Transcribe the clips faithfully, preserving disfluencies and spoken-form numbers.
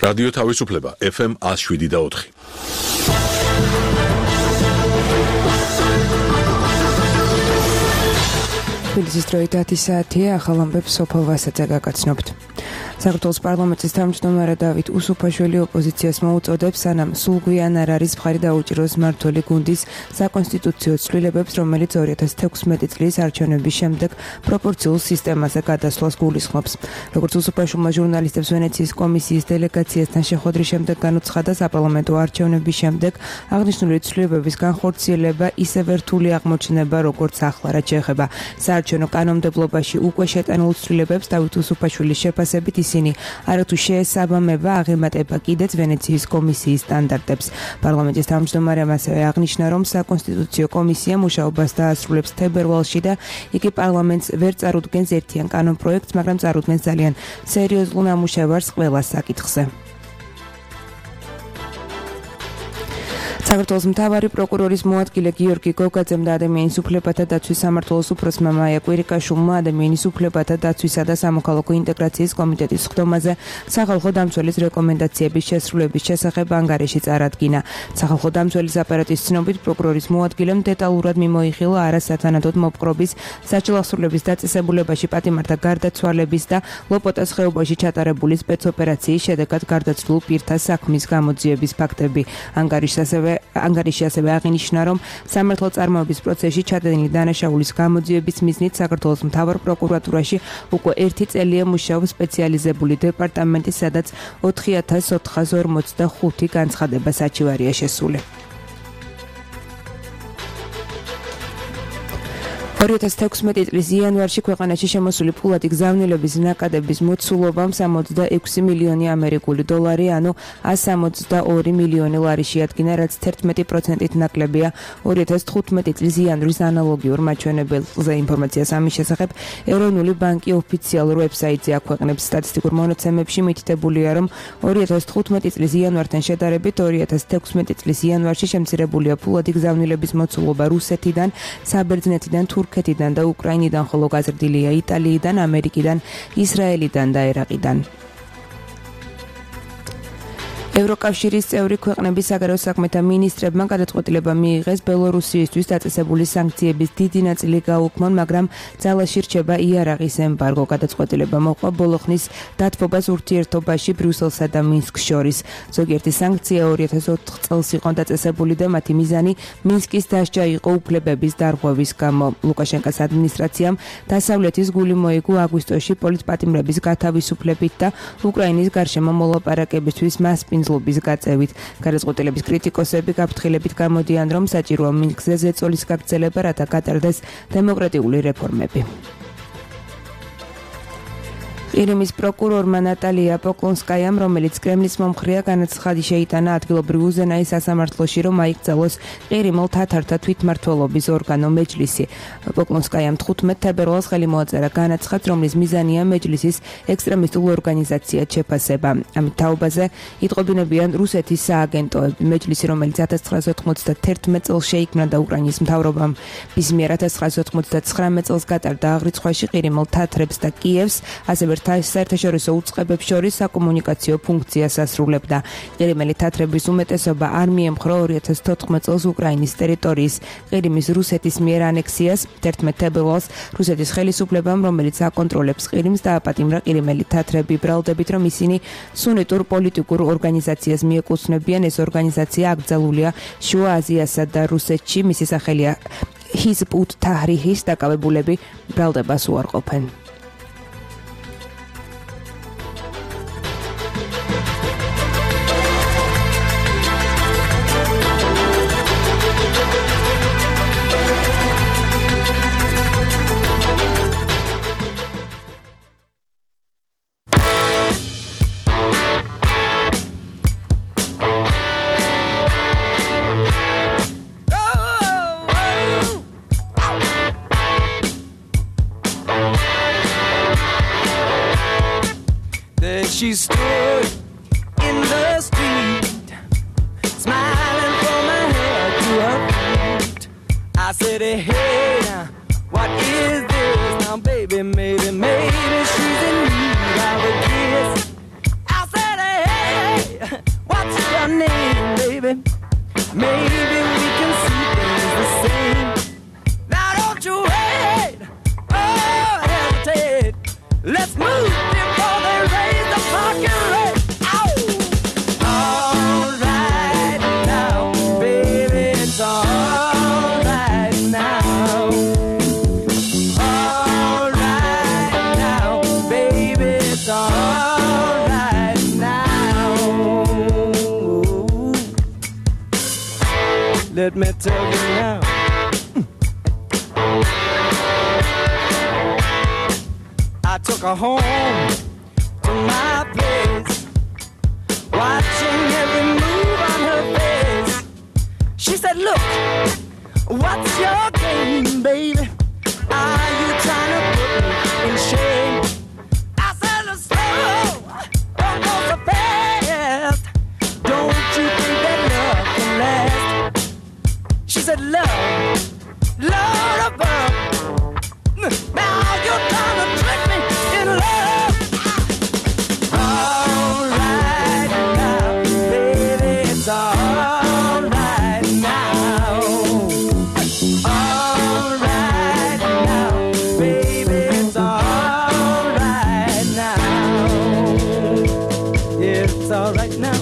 რადიო თავისუფლება ეფ ემ one oh seven და four. თბილისის დროით ათი საათია, ახალ ამბებს სოფო ვასაძე გაგაცნობთ. საქართველოს პარლამენტის თავმჯდომარე დავით უსუფაშვილი ოპოზიციას მოუწოდებს, სანამ სულგვიან არ არის მხარი დაუჭიროს მმართველი გუნდის საკონსტიტუციო ცვლილებებს, რომელიც two thousand sixteen წლის არჩევნების შემდეგ პროპორციულ სისტემაზე გადასვლას გულისხმობს. როგორც უსუფაშვილმა ჟურნალისტებს ვენეციის კომისიის დელეგაციასთან შეხვედრის შემდეგ განუცხადა, საპარლამენტო არჩევნების შემდეგ აღნიშნული ცვლილებების განხორციელება ისევ რთული აღმოჩნდება, როგორც ახლა, რაც შეეხება საარჩევნო კანონმდებლობაში უკვე შეტანილ ცვლილებებს. დავით უსუფაშვილის შეფასებით ისინი არათუ შეესაბამება აღემატება კიდეც ვენეციის კომისიის სტანდარტებს. პარლამენტის თავმჯდომარემ ასევე აღნიშნა, რომ საკონსტიტუციო კომისია მუშაობას დაასრულებს თებერვალში და იგი პარლამენტს ვერ წარუდგენს ერთიან კანონპროექტს, მაგრამ წარუდგენს ძალიან სერიოზულ ნამუშევარს ყველა საკითხზე. საქართველოს მთავარი პროკურორის მოადგილე გიორგი გოგაძემ და ადამიანის უფლებათა დაცვის სამმართველოს უფროსმა მაია კვირიკაშვილმა ადამიანის უფლებათა დაცვისა და სამოქალაქო ინტეგრაციის კომიტეტის სხდომაზე სახალხო დამცველის რეკომენდაციების შესრულების შესახებ ანგარიში წარადგინა. სახალხო დამცველის აპარატის ცნობით, პროკურორის მოადგილემ დეტალურად მიმოიხილა არასათანადოდ მოპყრობის, საჭილახსრულების დაწესებულებაში პატიმართა გარდაცვალების და ლოპოტას ხეობაში ჩატარებული სპეცოპერაციის შედეგად გარდაცვლილ პირთა საქმის გამოძიების ფაქტები. ანგარიშს ასევე ანგარიში ასევე აღინიშნა, რომ სამართლო წარმოების პროცესში ჩადენილი დანაშაულის გამოძიების მიზნით საქართველოს მთავარ პროკურატურაში უკვე ერთი წელია მუშაობს სპეციალიზებული დეპარტამენტი, სადაც ოთხი ათას ოთხას ორმოცდახუთი განცხადება საჩივარია შესული. two thousand sixteen წლის იანვარში ქვეყანაში შემოსული ფულადი გზავნილების ნაკადების მოცულობამ sixty-six მილიონი ამერიკული დოლარი, ანუ one hundred seventy-two მილიონი ლარი შეადგინა, რაც eleven პროცენტით ნაკლებია two thousand fifteen წლის იანვრის ანალოგიურ მაჩვენებელზე. ინფორმაციას ამის შესახებ ეროვნული ბანკი ოფიციალურ ვებსაიტზე აქვეყნებს. სტატისტიკურ მონაცემებში მითითებულია, რომ two thousand fifteen წლის იანვართან შედარებით two thousand sixteen წლის იანვარში შემცირებულია ფულადი გზავნილების მოცულობა რუსეთიდან, საბერძნეთიდან, თურქეთიდან და უკრაინიდან, ხოლო გაზრდილია იტალიიდან, ამერიკიდან, ისრაელიდან და ერაყიდან. ევროკავშირის წევრი ქვეყნების საგარეო საქმეთა მინისტრებმა გადაწყვეტილება მიიღეს ბელორუსიისთვის დაწესებული სანქციების დიდი ნაწილი გაუქმონ, მაგრამ ძალაში რჩება იარაღის ემბარგო. გადაწყვეტილება მოყვა ბოლო ხნის დათბობას ურთიერთობაში ბრიუსელსა და მინსკს შორის. ზოგიერთი სანქცია two thousand four წელს იყო დაწესებული და მათი მიზანი მინსკის დასჯა იყო უფლებების დარღვევის გამო. ლუკაშენკოს ადმინისტრაციამ დასავლეთის გული მოიგო აგვისტოში პოლიტპატიმრების გათავისუფლებით და უკრაინის გარშემო მოლაპარაკებისთვის მასპინძლობის გაწევით. გადაწყვეტილების კრიტიკოსები გაფრთხილებით გამოდიან, რომ საჭიროა მინსკზე ზეწოლის გაგრძელება, რათა გატარდეს დემოკრატიული რეფორმები. ყირიმის პროკურორმა ნატალია პოკლონსკაიამ, რომელიც კრემლის მომხრეა, განაცხადი შეიტანა ადგილობრივ უზენაის სასამართლოში, რომ აიკრძალოს ყირიმელ თათართა თვითმმართველობის ორგანო მეჯლისი. პოკლონსკაიამ ხუთმეტ თებერვალს ხელი მოაწერა განაცხადს, რომლის მიზანია მეჯლისის ექსტრემისტულ ორგანიზაციად შეფასება. ამით თაობაზე იტყობინებიან რუსეთის სააგენტოები. მეჯლისი, რომელიც one thousand nine hundred ninety-one წელს შეიქმნა და უკრაინის მთავრობამ მის მიერ one thousand nine hundred ninety-nine წელს გატარდა აღრიცხვაში ყირიმელ თათრებს და კიევს, ასევე საერთაშორისო უწყებებს შორის საკომუნიკაციო ფუნქციას ასრულებდა. ყირიმელი თათრების უმეტესობა არ მიემხრო two thousand fourteen წელს უკრაინის ტერიტორიის ყირიმის რუსეთის მიერ ანექსიას. eleven თებერვალს რუსეთის ხელისუფლებამ, რომელიც აკონტროლებს ყირიმს, დააპატიმრა ყირიმელი თათრები, ბრალდებით, რომ ისინი სუნიტურ პოლიტიკურ ორგანიზაციას მიეკუთვნებიან. ეს ორგანიზაცია აკრძალულია შუა აზიასა და რუსეთში. მისი სახელია ჰიზბ ут-თაჰრირის. დაკავებულები ბრალდებას უარყოფენ. She stood in the street, smiling from her head to her feet. I said, hey, what is this? Now, baby, maybe, maybe she's in need of a kiss. I said, hey, let me tell you now. I took her home to my place, watching every move on her face. She said, look, what's your game, baby? Are you trying to put me in shame? I said, let's slow, don't go so fast. Don't you think that love can last? She said, love, love above. Now you're trying to trick me in love. All right now, baby, it's all right now. All right now, baby, it's all right now. Yeah, it's all right now.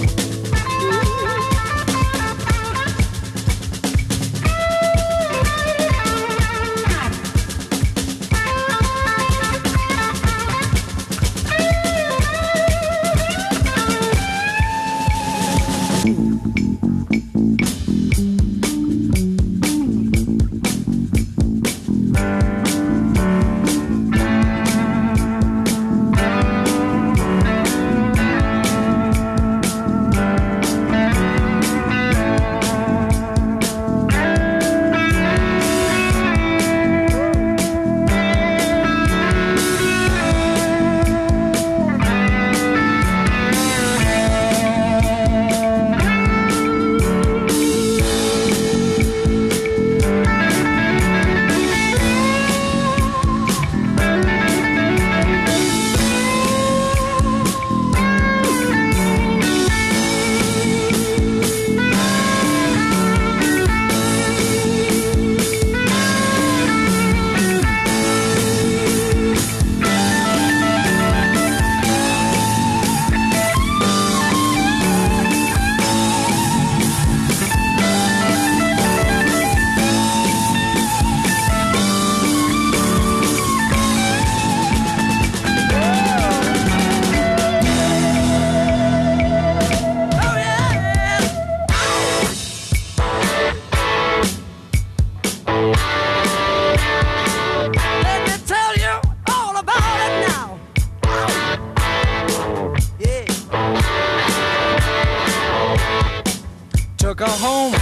Took her home,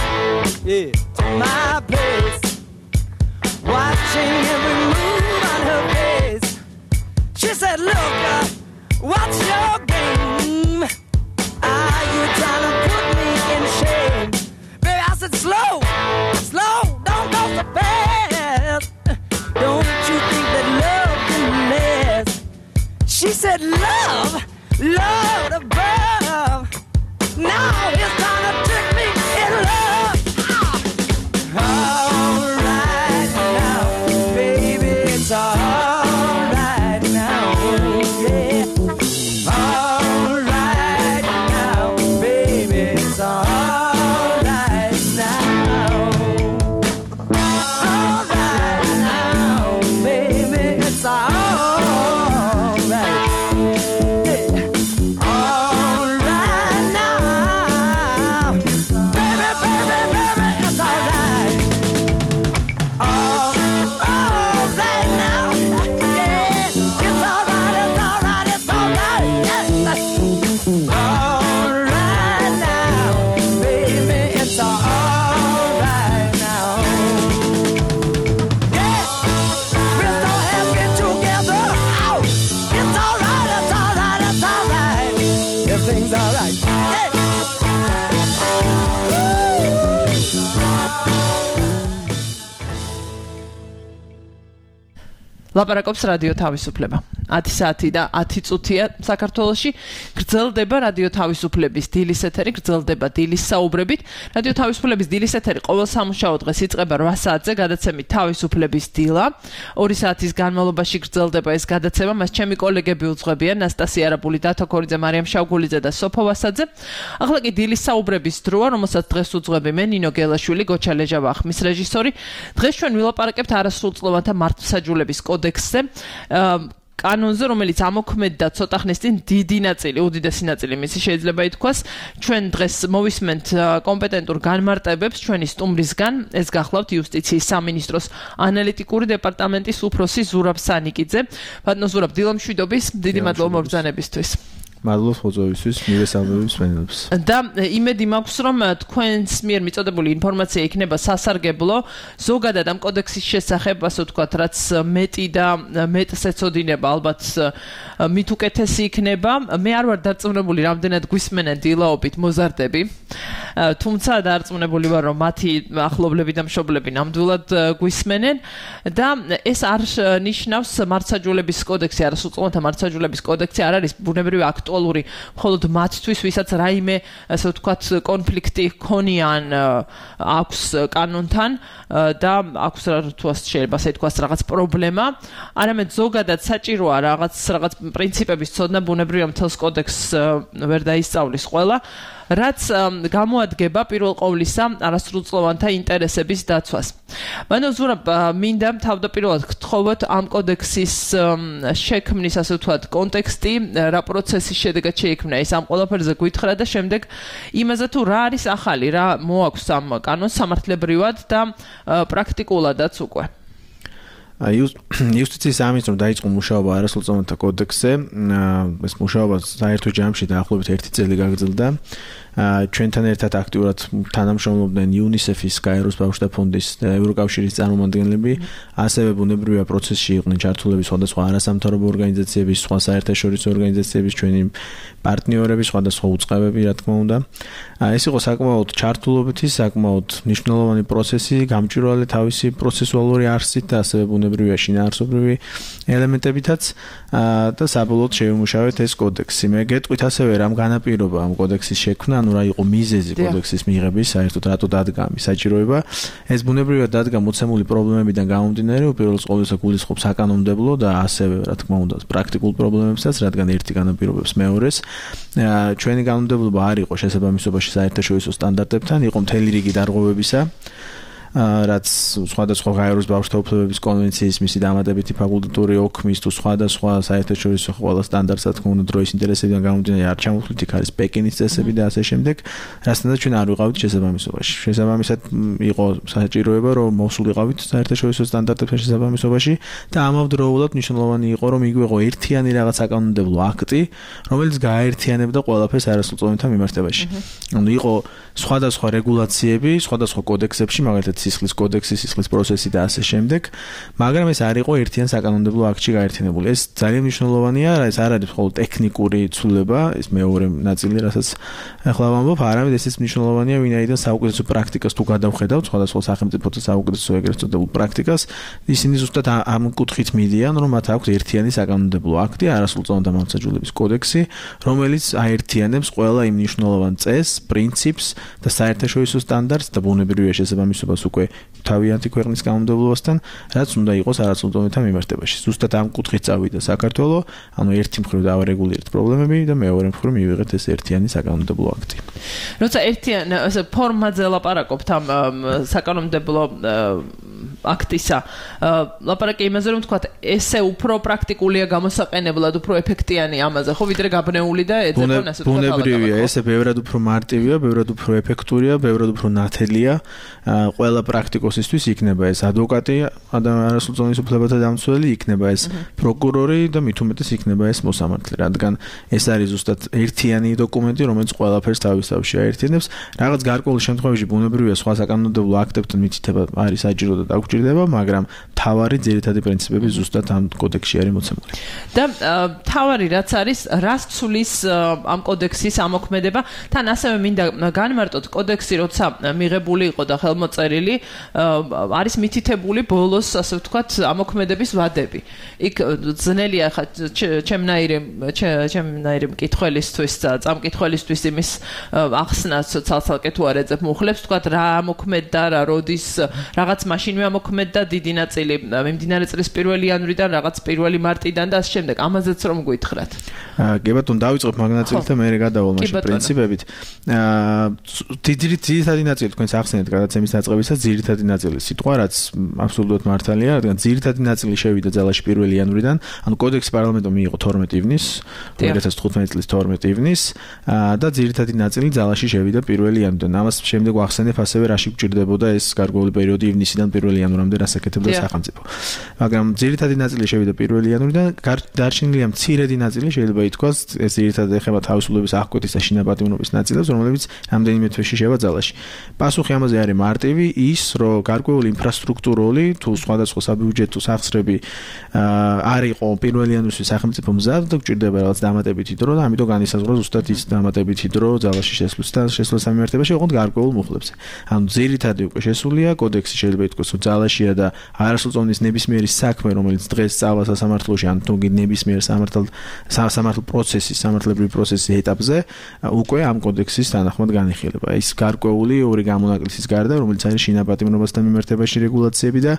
yeah, to my place, watching every move on her face. She said, look, uh, what's your game? Are you trying to put me in shame? Baby, I said, slow, slow, don't go so fast. Don't you think that love can last? She said, love, love above. Now it's time to trick me in love. All right now, baby, it's all right now, yeah. All right now, baby, it's all right now. All right now, baby, it's all right. ლაპარაკობს რადიო თავისუფლება. ათი საათი და ათი წუთია საქართველოში გრძელდება რადიო თავისუფლების დილის ეთერი, გრძელდება დილის საუბრებით. რადიო თავისუფლების დილის ეთერი ყოველ სამუშაო დღეს იწყება რვა საათზე გადაცემით თავისუფლების დილა. ორი საათის განმავლობაში გრძელდება ეს გადაცემა, მას ჩემი კოლეგები უძღვებიან ნასტასია არაბული, დათო ქორიძე, მარიამ შავგულიძე და სოფო ვასაძე. ახლა კი დილის საუბრების დროა, რომელსაც დღეს უძღვები მე ნინო გელაშვილი, გოჩა ლეჟავა ხმის რეჟისორი. დღეს ჩვენ ვილაპარაკებთ არასრულწლოვანთა მართლმსაჯულების კოდექსზე. კანონზე, რომელიც ამოქმედდა ცოტა ხნის წინ დიდი ნაწილი, უდიდესი ნაწილი მისი შეიძლება ითქვას, ჩვენ დღეს მოვისმენთ კომპეტენტურ განმარტებებს ჩვენი სტუმრისგან, ეს გახლავთ იუსტიციის სამინისტროს ანალიტიკური დეპარტამენტის უფროსი ზურაბ სანიკიძე. ბატონო ზურაბ, დილამშვიდობის, დიდი მადლობა მობრძანებისთვის. მადლობა ხოწოვისთვის, მივესალმებით მსმენელებს. და იმედი მაქვს, რომ თქვენს მიერ მიწოდებული ინფორმაცია იქნება სასარგებლო, ზოგადად ამ კოდექსის შესახებ, ასე ვთქვათ, რაც მეტი და მეტს ეცოდინება, ალბათ მით უკეთესი იქნება. მე არ ვარ დარწმუნებული, რამდენად გვისმენენ დილაობით მოზარდები. თუმცა დარწმუნებული ვარ, რომ მათი ახლობლები და მშობლები ნამდვილად გვისმენენ და ეს არ ნიშნავს მართლმსაჯულების კოდექსი, არასრულწლოვანთა მართლმსაჯულების კოდექსი არ არის ბუნებრივი აქტი აქტუალური მხოლოდ მათთვის, ვისაც რაიმე, ასე ვთქვათ, კონფლიქტი ჰქონიან აქვს კანონთან და აქვს თუ ასე შეიძლება ასე ვთქვათ, რაღაც პრობლემა, არამედ ზოგადად საჭიროა რაღაც რაღაც პრინციპების ცოდნა, ბუნებრივია მთელს კოდექსს ვერ დაისწავლის ყველა, რაც გამოადგება პირველ ყოვლისა არასრულწლოვანთა ინტერესების დაცვას. ბატონო ზურაბ, მინდა თავდაპირველად გთხოვოთ ამ კოდექსის შექმნის, ასე ვთქვათ, კონტექსტი, რა პროცესის შედეგად შეიქმნა ეს ამ ყველაფერზე გვითხრა და შემდეგ იმაზე თუ რა არის ახალი, რა მოაქვს ამ კანონს სამართლებრივად და პრაქტიკულადაც უკვე. იუსტიციის სამინისტრომ დაიწყო მუშაობა არასრულწლოვანთა კოდექსზე. ეს მუშაობა საერთო ჯამში დაახლოებით ერთი წელი გაგრძელდა. ჩვენთან ერთად აქტიურად თანამშრომლობდნენ იუნისეფის, გაეროს ბავშვთა ფონდის და ევროკავშირის წარმომადგენლები, ასევე ბუნებრივია პროცესში იყვნენ ჩართულები სხვადასხვა არასამთავრობო ორგანიზაციების, სხვა საერთაშორისო ორგანიზაციების, ჩვენი პარტნიორები, სხვადასხვა უწყებები, რა თქმა უნდა. ეს იყო საკმაოდ ჩართულობითი, საკმაოდ მნიშვნელოვანი პროცესი, გამჭვირვალე თავისი პროცესუალური არსით და ასევე ბუნებრივია შინაარსობრივი ელემენტებითაც და საბოლოოდ შევიმუშავეთ ეს კოდექსი. მე გეტყვით ასევე რამ განაპირობა ამ კოდექსის შექმნა, ანუ რა იყო მიზეზი კოდექსის მიღების, საერთოდ რატო დადგა ამის საჭიროება. ეს ბუნებრივია დადგა მოცემული პრობლემებიდან გამომდინარე, უპირველეს ყოვლისა გულისხმობს საკანონმდებლო და ასევე რა თქმა უნდა პრაქტიკულ პრობლემებსაც, რადგან ერთი განაპირობებს მეორეს. ჩვენი კანონმდებლობა არ იყო შესაბამისობაში საერთაშორისო სტანდარტებთან, იყო მთელი რიგი დარღვევებისა, რაც სხვადასხვა გაეროს ბავშვთა უფლებების კონვენციის, მისი დამატებითი ფაკულტატური ოქმის თუ სხვადასხვა საერთაშორისო ყველა სტანდარტს, რა თქმა უნდა, დროის ინტერესებიდან გამომდინარე არ ჩამოთვლით, იქ არის პეკინის წესები და ასე შემდეგ, რასთანაც ჩვენ არ ვიყავით შესაბამისობაში. შესაბამისად იყო საჭიროება, რომ მოსულიყავით საერთაშორისო სტანდარტებთან შესაბამისობაში და ამავდროულად მნიშვნელოვანი იყო, რომ იგვეღო ერთიანი რაღაც საკანონმდებლო აქტი, რომელიც გააერთიანებდა ყველაფერს არასრულწლოვანთა მიმართებაში. ანუ იყო სხვადასხვა რეგულაციები, სხვადასხვა კოდექსებში, მაგალითად სისხლის კოდექსი, სისხლის პროცესი და ასე შემდეგ, მაგრამ ეს არ იყო ერთიან საკანონმდებლო აქტში გაერთიანებული. ეს ძალიან მნიშვნელოვანია, ეს არ არის მხოლოდ ტექნიკური ცვლილება, ეს მეორე ნაწილი, რასაც ახლა ვამბობ, არამედ ესეც მნიშვნელოვანია, ვინაიდან საუკეთესო პრაქტიკას თუ გადავხედავთ, სხვადასხვა სახელმწიფოთა საუკეთესო ეგრეთ წოდებულ პრაქტიკას, ისინი ზუსტად ამ კუთხით მიდიან, რომ მათ აქვს ერთიანი საკანონმდებლო აქტი, არასრულწლოვანთა მართლმსაჯულების კოდექსი, რომელიც აერთიანებს ყველა იმ მნიშვნელოვან წესს, პრინციპს და საერთაშორისო სტანდარტს და ბუნებრივია შესაბამისობას უკვე თავიანთი ქვეყნის კანონმდებლობასთან, რაც უნდა იყოს არასრულწლოვანთა მიმართებაში. ზუსტად ამ კუთხით წავიდა საქართველოს, ანუ ერთი მხრივ დავარეგულირეთ პრობლემები და მეორე მხრივ მივიღეთ ეს ერთიანი საკანონმდებლო აქტი. როცა ერთიანი ასე ფორმაზე ლაპარაკობთ ამ საკანონმდებლო აქტისა, ლაპარაკი იმაზე, რომ თქვათ, ესე უფრო პრაქტიკულია გამოსაყენებლად, უფრო ეფექტიანი ამაზე, ხო, ვიდრე გაბნეული და ეძებონ ასე თქვათ. ბუნებრივია, ესე ბევრად უფრო მარტივია, ბევრად უფრო ეფექტურია, ბევრად უფრო ნათელია. ყველა პრაქტიკოსისთვის იქნება ეს ადვოკატი, არასრულწლოვანი უფლებათა დამცველი, იქნება ეს პროკურორი და მით უმეტეს იქნება ეს მოსამართლე, რადგან ეს არის ზუსტად ერთიანი დოკუმენტი, რომელიც ყველაფერს თავის თავში აერთიანებს. რაღაც გარკვეული შემთხვევაში ბუნებრივია სხვა საკანონმდებლო აქტებთან მითითება არის საჭირო და დაგჭირდება, მაგრამ თავარი ძირითადი პრინციპები ზუსტად ამ კოდექსში არის მოცემული. და თავარი რაც არის, რას ცulis ამ კოდექსის ამოქმედება, თან ასევე მინდა განმარტოთ კოდექსი, როცა მიღებული იყო და ხელმოწერილი, არის მითითებული ბოლოს, ასე ვთქვათ, ამოქმედების ვადები. იქ ძნელია ხა ჩემნაირი ჩემნაირი მკითხველისთვის და წამკითხველისთვის იმის ახსნას ცალ-ცალკე თუ არ ეძებ მუხლებს, ვთქვათ, რა ამოქმედდა, რა როდის რაღაც მაშინვე მოქმედ და დიდი ნაწილი მიმდინარე წლის პირველი იანვრიდან რაღაც პირველი მარტიდან და ამ შემდეგ ამაზეც რომ გვითხრათ. კი ბატონო, დავიწყებ მაგ ნაწილით და მე გადავალ მაშინ პრინციპებით. ძირითადი ნაწილი თქვენს ახსენეთ გადაცემის დაწყებისას ძირითადი ნაწილი სიტყვა რაც აბსოლუტურად მართალია, რადგან ძირითადი ნაწილი შევიდა ძალაში პირველი იანვრიდან, ანუ კოდექსი პარლამენტომ მიიღო თორმეტი ივნის, ორი ათას თხუთმეტი წლის თორმეტი ივნის და ძირითადი ნაწილი ძალაში შევიდა პირველი იანვრიდან. ამას შემდეგ ვახსენებ ასევე რაში გვჭირდებოდა ეს გარკვეული პერიოდი ივნისიდან პირველი იანვრამდე რას აკეთებდა სახელმწიფო. მაგრამ ძირითადი ნაწილი შევიდა პირველი იანვრიდან, დარჩენილია მცირედი ნაწილი შეიძლება ითქვას, ეს ძირითადად ეხება თავისუფლების აღკვეთის და შინაპატიმრობის ნაწილებს, რომლებიც რამდენიმე თვეში შევა ძალაში. პასუხი ამაზე არის მარტივი, ის რომ გარკვეული ინფრასტრუქტურული თუ სხვადასხვა საბიუჯეტო სახსრები არ იყო პირველი იანვრისთვის სახელმწიფო მზად და გვჭირდება რაღაც დამატებითი დრო და ამიტომ განისაზღვრა ზუსტად ის დამატებითი დრო ძალაში შესვლის და შესვლის სამიმართებაში ოღონდ გარკვეულ მუხლებზე. ანუ ძირითადად უკვე შესულია კოდექსი შეიძლება ითქვას, რომ ძალაშია და არასრულწლოვნის ნებისმიერი საქმე, რომელიც დღეს სწავლა სასამართლოში ან თუ ნებისმიერ სამართალ სამართალ პროცესის, სამართლებრივი პროცესის ეტაპზე უკვე ამ კოდექსის თანახმად განიხილება. ის გარკვეული ორი გამონაკლისის გარდა, რომელიც არის შინაპატიმრობასთან მიმართებაში რეგულაციები და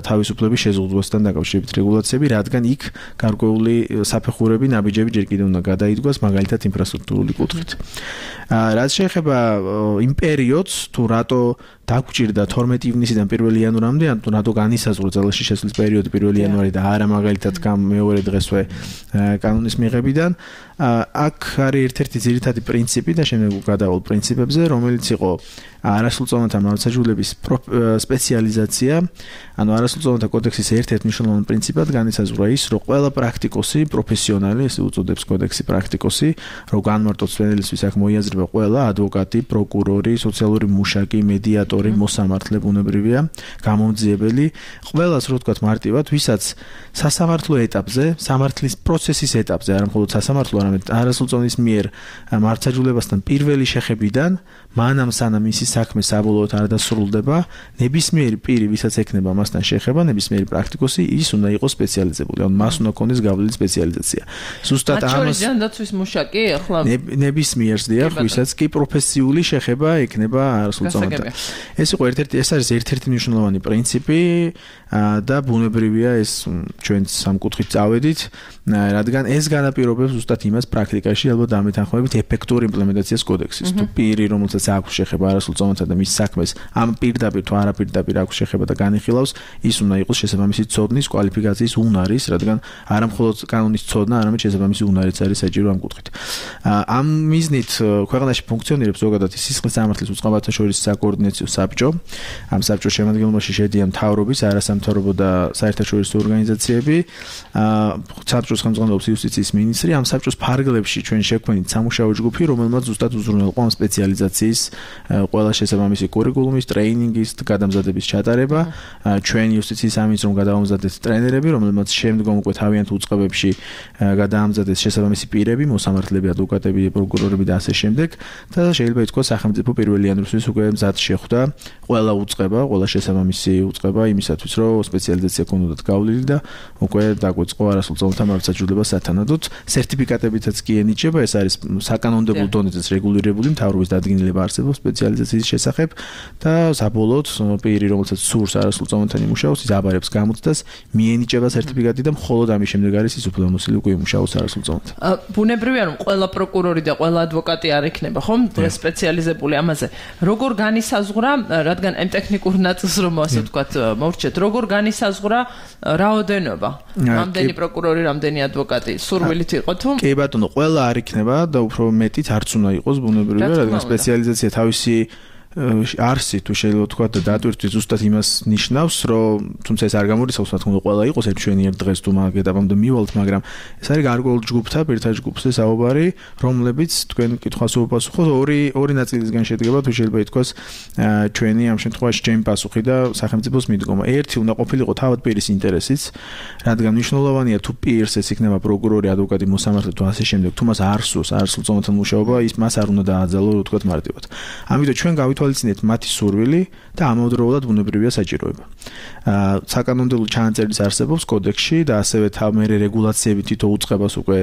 თავისუფლების შეზღუდვასთან დაკავშირებით რეგულაციები, რადგან იქ გარკვეული საფეხურები, ნაბიჯები ჯერ კიდევ უნდა გადაიდგას, მაგალითად ინფრასტრუქტურული კუთხით. რაც შეეხება იმ პერიოდს, თუ რატო დაგვჭირდა თორმეტი ივნისიდან პირველი იანვრამდე, ან თუ რატო განისაზღვრა ძალაში შესვლის პერიოდი პირველი იანვარი და არა მაგალითად მეორე დღესვე კანონის მიღებიდან, აქ არის ერთ-ერთი ძირითადი პრინციპი და შემდეგ გადავალ პრინციპებზე, რომელიც იყო არასრულწლოვანთა მართლმსაჯულების სპეციალიზაცია, ანუ არასრულწლოვანთა კოდექსის ერთ-ერთ მნიშვნელოვან პრინციპად განისაზღვრა ის, რომ ყველა პრაქტიკოსი, პროფესიონალი, ესე უწოდებს კოდექსი პრაქტიკოსი, რომ განმარტოთ სვენელისთვის აქ მოიაზრება ყველა ადვოკატი, პროკურორი, სოციალური მუშაკი, მედიატორი, მოსამართლე ბუნებრივია, გამომძიებელი, ყველას რო ვთქვათ მარტივად, ვისაც სასამართლო ეტაპზე, სამართლის პროცესის ეტაპზე, არა მხოლოდ სასამართლო, არამედ არასრულწლოვნის მიერ მართლმსაჯულებასთან პირველი შეხებიდან, მანამ სანამ ისი საქმე საბოლოოდ არ დასრულდება, ნებისმიერი პირი, ვისაც ექნება მასთან შეხება, ნებისმიერი პრაქტიკოსი, ის უნდა იყოს სპეციალიზებული, ანუ მას უნდა ქონდეს გავლილი სპეციალიზაცია. ზუსტად ამას დაცვის მუშაკი ახლა ნებისმიერს დიახ, ვისაც კი პროფესიული შეხება ექნება არასრულწლოვანთან. ეს იყო ერთ-ერთი, ეს არის ერთ-ერთი მნიშვნელოვანი პრინციპი და ბუნებრივია ეს ჩვენ სამკუთხით წავედით, რადგან ეს განაპირობებს ზუსტად იმას პრაქტიკაში ალბათ დამეთანხმებით ეფექტური იმპლემენტაციას კოდექსის. თუ პირი, რომელსაც აქვს შეხება არასრულწლოვანთან და მის საქმეს ამ პირდაპირ თუ არაპირდაპირ აქვს შეხება და განიხილავს, ის უნდა იყოს შესაბამისი ცოდნის, კვალიფიკაციის უნარის, რადგან არა მხოლოდ კანონის ცოდნა, არამედ შესაბამისი უნარიც არის საჭირო ამ კუთხით. ამ მიზნით ქვეყანაში ფუნქციონირებს ზოგადად სისხლის სამართლის უწყებათა შორის საკოორდინაციო საბჭო. ამ საბჭოს შემადგენლობაში შედიან მთავრობის, არასამთავრობო და საერთაშორისო ორგანიზაციები. საბჭოს ხელმძღვანელობს იუსტიციის მინისტრი. ამ საბჭოს ფარგლებში ჩვენ შექმნით სამუშაო ჯგუფი, რომელმაც ზუსტად უზრუნველყო ამ სპეციალიზაციის ყველა შესაბამისი კურიკულუმის, ტრეინინგის, გადამზადების ჩატარება. ჩვენ იუსტიციის სამინისტრომ გადაამზადეთ ტრენერები, რომელმაც შემდგომ უკვე თავიანთ უწყებებში გადაამზადეს შესაბამისი პირები, მოსამართლეები, ადვოკატები, პროკურორები და ასე შემდეგ. და შეიძლება ითქვას, სახელმწიფო პირველი იანვრისთვის უკვე მზად შეხვდა ყველა უწყება, ყველა შესაბამისი უწყება იმისათვის, რომ სპეციალიზაცია ქონოდათ გავლილი და უკვე დაგვეწყო არასრულწლოვანთა მართლმსაჯულება სათანადოდ. სერტიფიკატებითაც კი ენიჭება, ეს არის საკანონმდებლო დონეზეც რეგულირებული მთავრობის დადგენილება არსებობს სპეციალიზაციის შესახებ და საბოლოოდ პირი, რომელსაც სურს არასრულწლოვანთან იმუშაოს, ის აბარებს გამოცდას, მიენიჭება სერტიფიკატი და მხოლოდ ამის შემდეგ არის ის უფლებამოსილი უკვე იმუშაოს არასრულწლოვანთან. ბუნებრივია, რომ ყველა პროკურორი და ყველა ადვოკატი არ იქნება, ხომ? დღეს სპეციალიზებული ამაზე. როგორ განისაზღვრა, რადგან ამ ტექნიკურ ნაწილს რომ ასე ვთქვათ, მოვრჩეთ, როგორ განისაზღვრა რაოდენობა? რამდენი პროკურორი, რამდენი ადვოკატი სურვილით იყო თუ? კი ბატონო, ყველა არ იქნება და უფრო მეტიც არც უნდა იყოს ბუნებრივია, რადგან სპეციალიზაცია თავისი არსი თუ შეიძლება თქვა და დატვირთვით ზუსტად იმას ნიშნავს, რომ თუმცა ეს არ გამორიცხავს, რა თქმა უნდა, ყველა იყოს ერთშვენიერ დღეს თუ მაგ ეტაპამდე მივალთ, მაგრამ ეს არის გარკვეულ ჯგუფთა, პირთა ჯგუფზე საუბარი, რომლებიც თქვენ კითხვას უპასუხოთ, ორი ორი ნაწილისგან შედგება, თუ შეიძლება ითქვას, ჩვენი ამ შემთხვევაში ჩემი პასუხი და სახელმწიფოს მიდგომა. ერთი უნდა ყოფილიყო თავად პირის ინტერესიც, რადგან მნიშვნელოვანია თუ პირს ეს იქნება პროკურორი, ადვოკატი, მოსამართლე თუ ასე შემდეგ, თუ მას არ სურს არასრულწლოვანთან მუშაობა, ის მას არ უნდა დააძალო, რა ვთქვათ, მარტივად. ამიტომ ჩვენ გავით გაითვალისწინეთ მათი სურვილი და ამავდროულად ბუნებრივია საჭიროება. აა საკანონმდებლო ჩანაწერის არსებობს კოდექსში და ასევე თამერი რეგულაციები თითო უწყებას უკვე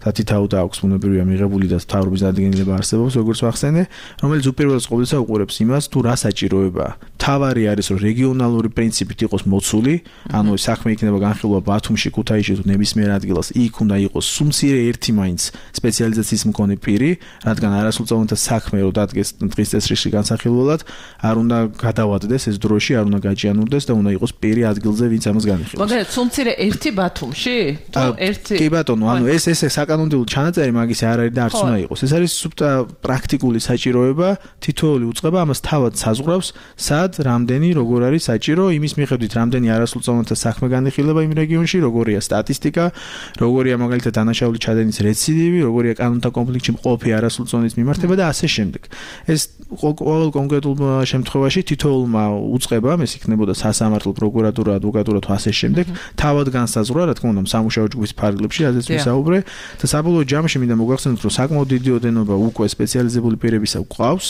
თითაუთ აქვს ბუნებრივია მიღებული და თავრობის დადგენილება არსებობს როგორც ვახსენე, რომელიც უპირველეს ყოვლისა უყურებს იმას თუ რა საჭიროებაა. თავარი არის რომ რეგიონალური პრინციპით იყოს მოცული, ანუ საქმე იქნება განხილვა ბათუმში, ქუთაისში თუ ნებისმიერ ადგილას, იქ უნდა იყოს სუმცირე ერთი მაინც სპეციალიზაციის მქონე პირი, რადგან არასრულწლოვანთა საქმე რო დადგეს დღის წესრიგში განსახილველად, არ უნდა გადავადდეს ეს დროში, არ უნდა გაჭიანურდეს და უნდა იყოს პირი ადგილზე, ვინც ამას განიხილავს. მაგალითად, სუმცირე ერთი ბათუმში? თუ ერთი? კი ბატონო, ანუ ეს ეს საკანონმდებლო ჩანაწერი მაგის არ არის და არც უნდა იყოს. ეს არის პრაქტიკული საჭიროება, თითოეული უწყება ამას თავად საზღვრავს, სად, რამდენი, როგორ არის საჭირო, იმის მიხედვით რამდენი არასრულწლოვანთა საქმე განიხილება იმ რეგიონში, როგორია სტატისტიკა, როგორია მაგალითად დანაშაული ჩადენის რეციდივი, როგორია კანონთა კონფლიქტში მყოფი არასრულწლოვანის მიმართება და ასე შემდეგ. ეს ყოველ კონკრეტულ შემთხვევაში თითოეულმა უწყებამ, ეს იქნებოდა სასამართლო, პროკურატურა, ადვოკატურა თუ ასე შემდეგ, თავად განსაზღვრა, რა თქმა უნდა, სამუშაო ჯგუფის ფარგლებში, ასეც ვისაუბრე და საბოლოო ჯამში მინდა მოგახსენოთ, რომ საკმაოდ დიდი ოდენობა უკვე სპეციალიზებული პირებისა გვყავს,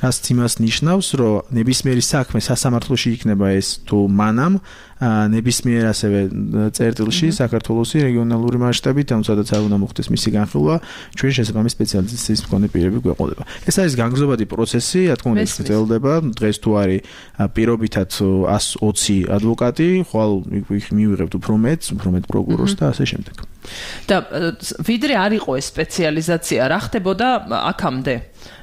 რაც იმას ნიშნავს, რომ ნებისმიერი საქმე სასამართლოში იქნება ეს თუ მანამ ნებისმიერ ასევე წერტილში საქართველოსი რეგიონალური მასშტაბით, ამ სადაც არ უნდა მოხდეს მისი განხილვა, ჩვენ შესაბამის სპეციალიზაციის მქონე პირები გვეყოლება. ეს არის განგრძობადი პროცესი, რა თქმა უნდა, ის გრძელდება. დღეს თუ არის პირობითად ას ოცი ადვოკატი, ხვალ მივიღებთ უფრო მეტს, უფრო მეტ პროკურორს და ასე შემდეგ. და ვიდრე არ იყო ეს სპეციალიზაცია, რა ხდებოდა აქამდე?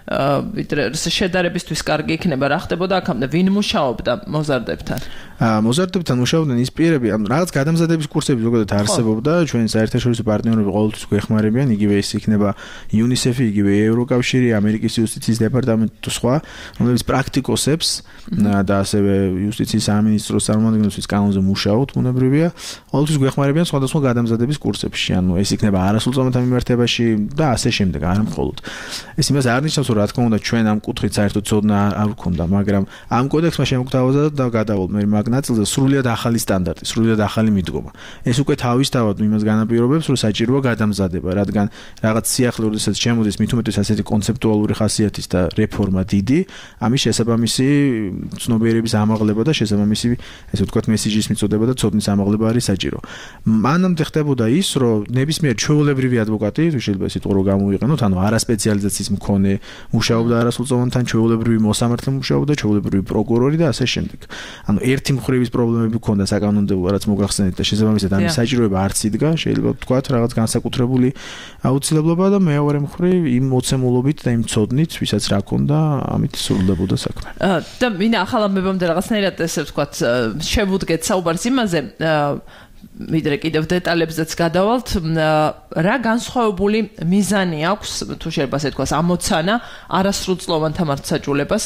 ვიდრე შედარებისთვის კარგი იქნება, რა ხდებოდა აქამდე? ვინ მუშაობდა მოზარდებთან? მოზარდებთან მუშაობდნენ ის პირები, ანუ რაღაც გადამზადების კურსები ზოგადად არსებობდა, ჩვენ საერთაშორისო პარტნიორები ყოველთვის გვეხმარებიან, იგივე ის იქნება იუნისეფი, იგივე ევროკავშირი, ამერიკის იუსტიციის დეპარტამენტი თუ სხვა, რომლებიც პრაქტიკოსებს და ასევე იუსტიციის სამინისტროს წარმომადგენლებს ის კანონზე მუშაობთ, ბუნებრივია, ყოველთვის გვეხმარებიან სხვადასხვა გადამზადების კურსებში, ანუ ეს იქნება არასრულწლოვანთა მიმართებაში და ასე შემდეგ, არ მხოლოდ. ეს იმას არ ნიშნავს, რომ რა თქმა უნდა ჩვენ ამ კუთხით საერთოდ ცოდნა არ გვქონდა, მაგრამ ამ კოდექსმა შემოგთავაზა და გადავალ მე მაგ ნაწილზე სრულიად ახალი სტანდარტი, სრულიად ახალი მიდგომა. ეს უკვე თავისთავად იმას განაპირობებს, რომ საჭიროა გადამზადება, რადგან რაღაც სიახლე როდესაც შემოდის მით უმეტეს ასეთი კონცეპტუალური ხასიათის და რეფორმა დიდი, ამის შესაბამისი ცნობიერების ამაღლება და შესაბამისი, ესე ვთქვათ, მესიჯის მიწოდება და ცოდნის ამაღლება არის საჭირო. მანამდე ხდებოდა ის, რომ ნებისმიერ ჩვეულებრივი ადვოკატი, თუ შეიძლება ეს სიტყვა რო გამოვიყენოთ, ანუ არასპეციალიზაციის მქონე მუშაობდა არასრულწლოვანთან, ჩვეულებრივი მოსამართლე მუშაობდა, ჩვეულებრივი პროკურორი და ასე შემდეგ. ანუ ერთი მხრივის პრობლემები ჰქონდა საკანონმდებლო, რაც მოგახსენეთ და შესაბამისად ამის საჭიროება არც იდგა, შეიძლება ვთქვათ, რაღაც განსაკუთრებული აუცილებლობა და მეორე მხრივ იმ მოცემულობით და იმ ცოდნით, ვისაც რა ჰქონდა, ამით სრულდებოდა საქმე. და მინდა ახალ ამბებამდე რაღაცნაირად ესე ვთქვათ, შევუდგეთ საუბარს იმაზე, ვიდრე კიდევ დეტალებზეც გადავალთ, რა განსხვავებული მიზანი აქვს, თუ შეიძლება ასე თქვას, ამოცანა არასრულწლოვანთა მართლმსაჯულებას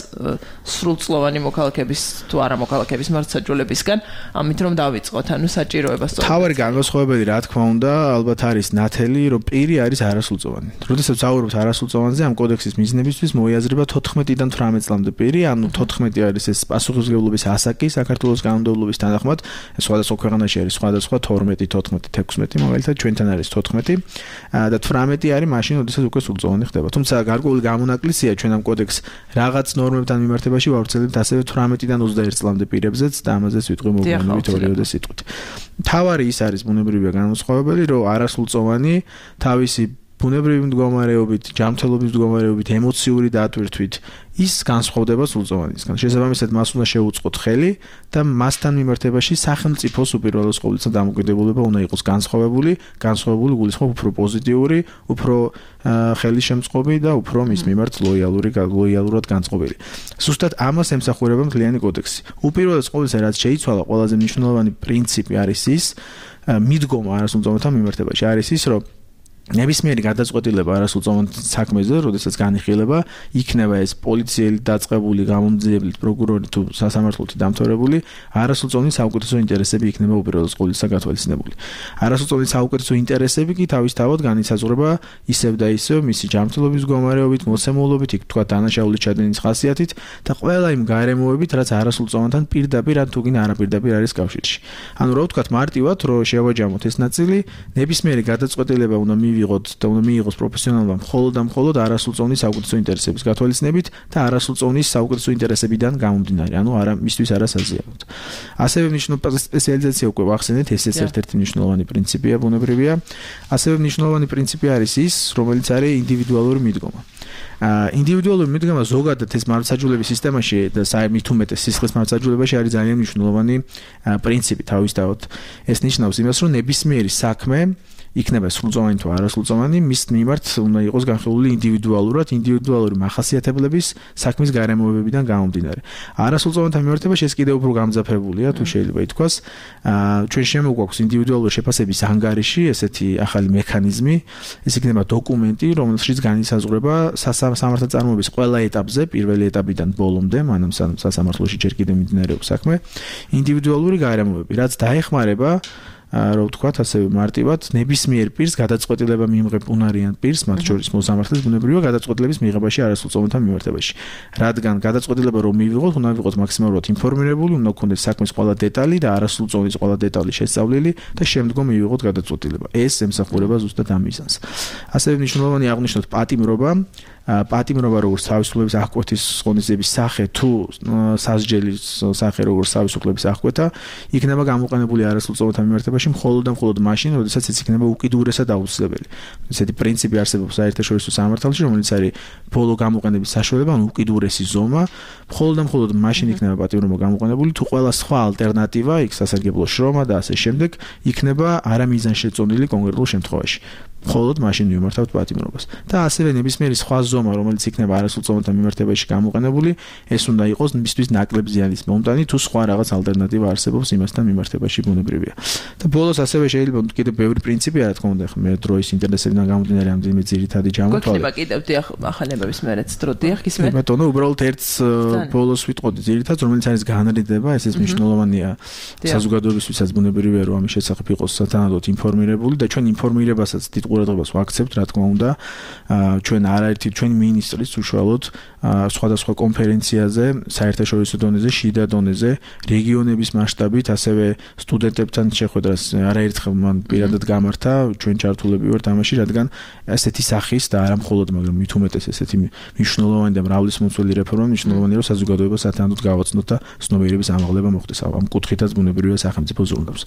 სრულწლოვანი მოქალაქეების თუ არა მოქალაქეების მართლმსაჯულებისგან, ამით რომ დავიწყოთ, ანუ საჭიროებას. თავარი განსხვავებელი, რა თქმა უნდა, ალბათ არის ნათელი, რომ პირი არის არასრულწლოვანი. როდესაც ვსაუბრობთ არასრულწლოვანზე, ამ კოდექსის მიზნებისთვის მოიაზრება თოთხმეტიდან თვრამეტ წლამდე პირი, ანუ თოთხმეტი არის ეს პასუხისმგებლობის ასაკი საქართველოს კანონმდებლობის თანახმად, სხვადასხვა ქვეყანაში არის სხვადასხვა თორმეტი, თოთხმეტი, თექვსმეტი, მაგალითად ჩვენთან არის თოთხმეტი და თვრამეტი არის მაშინ, როდესაც უკვე სრულწლოვანი ხდება. თუმცა გარკვეული გამონაკლისია ჩვენ ამ კოდექს რაღაც ნორმებთან მიმართებაში ვავრცელებთ ასევე თვრამეტიდან ოცდაერთ წლამდე პირებზეც და ამაზეც ვიტყვი მოგვიანებით ორიოდე სიტყვით. თავარი ის არის ბუნებრივია განსხვავებელი, რომ არასრულწლოვანი თავისი ბუნებრივი მდგომარეობით, ჯანმრთელობის მდგომარეობით, ემოციური დატვირთვით ის განსხვავდება სრულწლოვანისგან. შესაბამისად, მას უნდა შეუწყოთ ხელი და მასთან მიმართებაში სახელმწიფოს უპირველეს ყოვლისა დამოკიდებულება უნდა იყოს განსხვავებული, განსხვავებული გულისხმობ უფრო პოზიტიური, უფრო ხელისშემწყობი და უფრო მის მიმართ ლოიალური, ლოიალურად განწყობილი. ზუსტად ამას ემსახურება მთლიანი კოდექსი. უპირველეს ყოვლისა, რაც შეიცვალა, ყველაზე მნიშვნელოვანი პრინციპი არის ის, მიდგომა არასრულწლოვანთა მიმართებაში არის ის, რომ ნებისმიერი გადაწყვეტილება არასრულწლოვან საქმეზე, როდესაც განიხილება, იქნება ეს პოლიციელი დაწყებული, გამომძიებლით, პროკურორი თუ სასამართლოთი დამთავრებული, არასრულწლოვანი საუკეთესო ინტერესები იქნება უპირველეს ყოვლისა გათვალისწინებული. არასრულწლოვანი საუკეთესო ინტერესები კი თავისთავად განისაზღვრება ისევ და ისევ მისი ჯანმრთელობის მდგომარეობით, მოცემულობით, იქ თქვა დანაშაულის ჩადენის ხასიათით და ყველა იმ გარემოებით, რაც არასრულწლოვანთან პირდაპირ ან თუგინ არაპირდაპირ არის კავშირში. ანუ რა ვთქვათ მარტივად, რომ შევაჯამოთ ეს ნაწილი, ნებისმიერი გადაწყვეტილება უნდა მივიღოთ და უნდა მიიღოს პროფესიონალმა მხოლოდ და მხოლოდ არასრულწლოვნის საუკეთესო ინტერესების გათვალისწინებით და არასრულწლოვნის საუკეთესო ინტერესებიდან გამომდინარე, ანუ არა მისთვის არასაზიაროდ. ასევე მნიშვნელოვანი სპეციალიზაცია უკვე ვახსენეთ, ესეც ერთ-ერთი მნიშვნელოვანი პრინციპია, ბუნებრივია. ასევე მნიშვნელოვანი პრინციპი არის ის, რომელიც არის ინდივიდუალური მიდგომა. აა ინდივიდუალური მიდგომა ზოგადად ეს მართლმსაჯულების სისტემაში და საერთოდ უმეტეს სისხლის მართლმსაჯულებაში არის ძალიან მნიშვნელოვანი პრინციპი თავისთავად. ეს ნიშნავს იმას, რომ ნებისმიერი საქმე იქნება სრულწლოვანი თუ არასრულწლოვანი, მის მიმართ უნდა იყოს განხილული ინდივიდუალურად, ინდივიდუალური მახასიათებლების საქმის გარემოებებიდან გამომდინარე. არასრულწლოვანთა მიმართებაში ეს კიდევ უფრო გამძაფრებულია, თუ შეიძლება ითქვას. აა ჩვენ შემოგვაქვს ინდივიდუალური შეფასების ანგარიში, ესეთი ახალი მექანიზმი, ეს იქნება დოკუმენტი, რომელშიც განისაზღვრება სამართალწარმოების ყველა ეტაპზე, პირველი ეტაპიდან ბოლომდე, მანამ სასამართლოში ჯერ კიდევ მიმდინარეობს საქმე, ინდივიდუალური გარემოებები, რაც დაეხმარება რა ვთქვათ, ასევე მარტივად ნებისმიერ პირს გადაწყვეტილება მიიღებ უნარიან პირს, მათ შორის მოსამართლეს ბუნებრივია გადაწყვეტილების მიღებაში არასრულწლოვანთა მიმართებაში. რადგან გადაწყვეტილება რომ მივიღოთ, უნდა ვიყოთ მაქსიმალურად ინფორმირებული, უნდა გქონდეს საქმის ყველა დეტალი და არასრულწლოვნის ყველა დეტალი შესწავლილი და შემდგომ მივიღოთ გადაწყვეტილება. ეს ემსახურება ზუსტად ამ მიზანს. ასევე მნიშვნელოვანი აღნიშნოთ პატიმრობა. პატიმრობა როგორც თავისუფლების აღკვეთის ღონისძიების სახე თუ სასჯელის სახე როგორც თავისუფლების აღკვეთა იქნება გამოყენებული არასრულწლოვანთა მიმართებაში მხოლოდ და მხოლოდ მაშინ, როდესაც ეს იქნება უკიდურესად აუცილებელი. ესეთი პრინციპი არსებობს საერთაშორისო სამართალში, რომელიც არის ბოლო გამოყენების საშუალება, ანუ უკიდურესი ზომა, მხოლოდ და მხოლოდ მაშინ იქნება პატიმრობა გამოყენებული, თუ ყველა სხვა ალტერნატივა, იქ სასარგებლო შრომა და ასე შემდეგ, იქნება არამიზანშეწონილი კონკრეტულ შემთხვევაში. მხოლოდ მაშინ მიმართავთ პატიმრობას. და ასევე ნებისმიერი სხვა ზომა, რომელიც იქნება არასრულწლოვანთა მიმართებაში გამოყენებული, ეს უნდა იყოს მისთვის ნაკლებ ზიანის მომტანი, თუ სხვა რაღაც ალტერნატივა არსებობს იმასთან მიმართებაში ბუნებრივია. და ბოლოს ასევე შეიძლება კიდევ ბევრი პრინციპი რა თქმა უნდა, მე დროის ინტერესებიდან გამომდინარე ამდენი ძირითადი ჯამოთვალე. გქნება კიდევ დიახ ახალებების მერეც დრო დიახ ისმე. ბატონო, უბრალოდ ერთს ბოლოს ვიტყოდი ძირითადად, რომელიც არის განრიდება, ესეც მნიშვნელოვანია საზოგადოებისთვისაც ბუნებრივია, რომ ამის შესახებ იყოს სათანადოდ ინფორმირებული და ჩვენ ინფორმირებასაც დიდ ყურადღებას ვაქცევთ, რა თქმა უნდა. ჩვენ არაერთი ჩვენი მინისტრის უშუალოდ სხვადასხვა კონფერენციაზე, საერთაშორისო დონეზე, შიდა დონეზე, რეგიონების მასშტაბით, ასევე სტუდენტებთან შეხვედრას არაერთხელ მან პირადად გამართა, ჩვენ ჩართულები ვართ ამაში, რადგან ესეთი სახის და არა მხოლოდ, მაგრამ მით უმეტეს ესეთი მნიშვნელოვანი და მრავლისმომცველი რეფორმა მნიშვნელოვანია, რომ საზოგადოება სათანადოდ გავაცნოთ და ცნობიერების ამაღლება მოხდეს. ამ კუთხითაც ბუნებრივია სახელმწიფო ზრუნავს.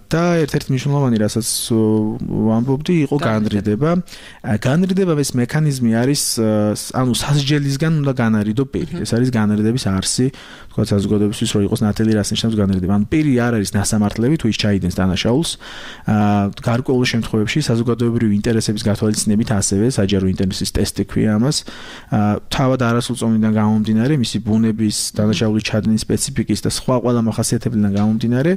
და ერთ-ერთი მნიშვნელოვანი, რასაც ვამბობდი, იყო განრიდება. განრიდება ეს მექანიზმი არის, ანუ სასჯელისგან უნდა განარიდო პირი. ეს არის განრიდების არსი, თქვა საზოგადოებისთვის რომ იყოს ნათელი, რას ნიშნავს განრიდება. ანუ პირი არ არის ნასამართლები, თუ ის ჩაიდენს დანაშაულს. გარკვეულ შემთხვევებში საზოგადოებრივი ინტერესების გათვალისწინებით ასევე საჯარო ინტერესის ტესტი ქვია ამას. თავად არასრულწლოვნიდან გამომდინარე, მისი ბუნების, დანაშაულის ჩადენის სპეციფიკის და სხვა ყველა მახასიათებლიდან გამომდინარე,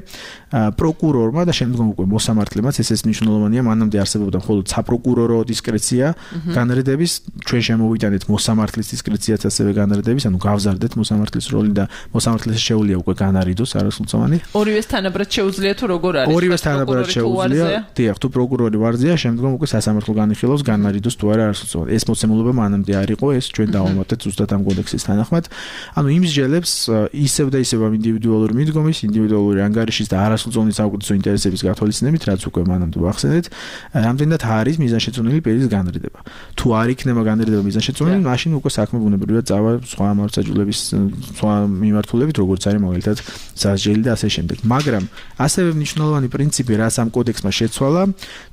პროკურორმა და შემდგომ უკვე მოსამართლემაც ეს მნიშვნელოვანია, მანამდე არსებობდა მხოლოდ საპროკურორო დისკრეცია განრიდების, ჩვენ შემოვიტანეთ მოსამართლის დისკრეციაც ასევე განრიდების, ანუ გავზარდეთ მოსამართლის როლი და მოსამართლეს შეუძლია უკვე განარიდოს არასრულწლოვანი. ორივეს თანაბრად შეუძლია თუ როგორ არის? ორივეს თანაბრად შეუძლია. დიახ, თუ პროკურორი ვარზია, შემდგომ უკვე სასამართლო განიხილავს განარიდოს თუ არა არასრულწლოვანი. ეს მოცემულობა მანამდე არ იყო, ეს ჩვენ დავამატეთ ზუსტად ამ კოდექსის თანახმად. ანუ იმსჯელებს ისევ და ისევ ამ ინდივიდუალური მიდგომის, ინდივიდუალური ანგარიშის და არასრულწლოვნის საუკეთესო ინტერესების გათვალისწინებით, რაც უკვე მანამდე ვახსენეთ, რამდენად არის მიზანშეწონილი პირის განრიდება. თუ არ იქნება განრიდება მიზანშეწონილი, მაშინ უკვე საქმე ბუნებრივია წავა სხვა მართლმსაჯულების სხვა მიმართულებით, როგორც არის მაგალითად სასჯელი და ასე შემდეგ. მაგრამ ასევე მნიშვნელოვანი პრინციპი, რაც ამ კოდექსმა შეცვალა,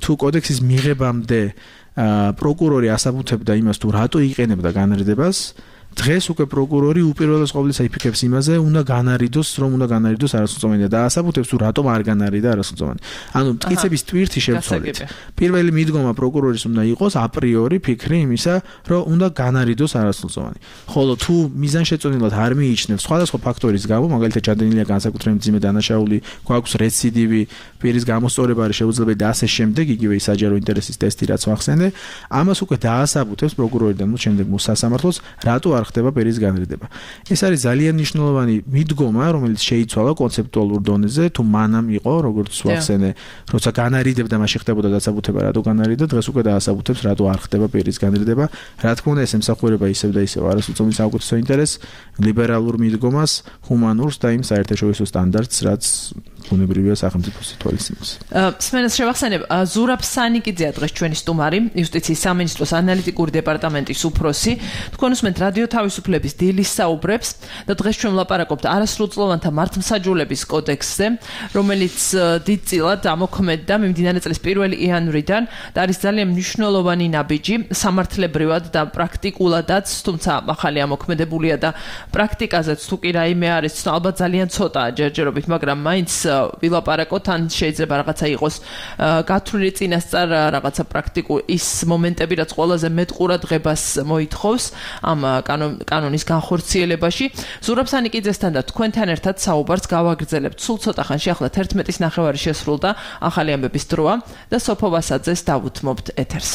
თუ კოდექსის მიღებამდე პროკურორი ასაბუთებდა იმას, თუ რატო იყენებდა განრიდებას, დღეს უკვე პროკურორი უპირველეს ყოვლისა იფიქრებს იმაზე, უნდა განარიდოს, რომ უნდა განარიდოს არასრულწლოვანი და ასაბუთებს, თუ რატომ არ განარიდა არასრულწლოვანი. ანუ მტკიცების ტვირთი შევცვალეთ. პირველი მიდგომა პროკურორის უნდა იყოს აპრიორი ფიქრი იმისა, რომ უნდა განარიდოს არასრულწლოვანი. ხოლო თუ მიზანშეწონილად არ მიიჩნევს სხვადასხვა ფაქტორის გამო, მაგალითად ჩადენილია განსაკუთრებით მძიმე დანაშაული, გვაქვს რეციდივი, პირის გამოსწორება არის შეუძლებელი და ასე შემდეგ, იგივე საჯარო ინტერესის ტესტი რაც ვახსენე, ამას უკვე დაასაბუთებს პროკურორი და ნუ შემდეგ მოსასამართლოს, რატო არ ხდება პირის განრიდება. ეს არის ძალიან მნიშვნელოვანი მიდგომა, რომელიც შეიცვალა კონცეპტუალურ დონეზე, თუ მანამ იყო, როგორც ვახსენე, როცა განარიდებდა, მაშინ ხდებოდა დასაბუთება, რატო განარიდა, დღეს უკვე დაასაბუთებს, რატო არ ხდება პირის განრიდება. რა თქმა უნდა, ეს ემსახურება ისევ და ისევ არასრულწლოვნის საუკეთესო ინტერესს, ლიბერალურ მიდგომას, ჰუმანურს და იმ საერთაშორისო სტანდარტს, რაც ბუნებრივია სახელმწიფოს თვალისწინებაში. სმენას შევახსენებ, ზურაბ სანიკიძეა დღეს ჩვენი სტუმარი, იუსტიციის სამინისტროს ანალიტიკური დეპარტამენტის უფროსი. თქვენ უსმენთ რადიო თავისუფლების დილის საუბრებს და დღეს ჩვენ ვლაპარაკობთ არასრულწლოვანთა მართლმსაჯულების კოდექსზე, რომელიც დიდწილად ამოქმედდა მიმდინარე წლის პირველი იანვრიდან და არის ძალიან მნიშვნელოვანი ნაბიჯი სამართლებრივად და პრაქტიკულადაც, თუმცა ახალი ამოქმედებულია და პრაქტიკაზეც თუ კი რაიმე არის, ალბათ ძალიან ცოტაა ჯერჯერობით, მაგრამ მაინც ვილაპარაკოთ, ან შეიძლება რაღაცა იყოს გათვლილი წინასწარ რაღაცა პრაქტიკულ ის მომენტები, რაც ყველაზე მეტ ყურადღებას მოითხოვს ამ კანონის განხორციელებაში. ზურაბ სანიკიძესთან და თქვენთან ერთად საუბარს გავაგრძელებთ სულ ცოტა ხანში, ახლა თერთმეტის ნახევარი შესრულდა, ახალი ამბების დროა და სოფო ვასაძეს დავუთმობთ ეთერს.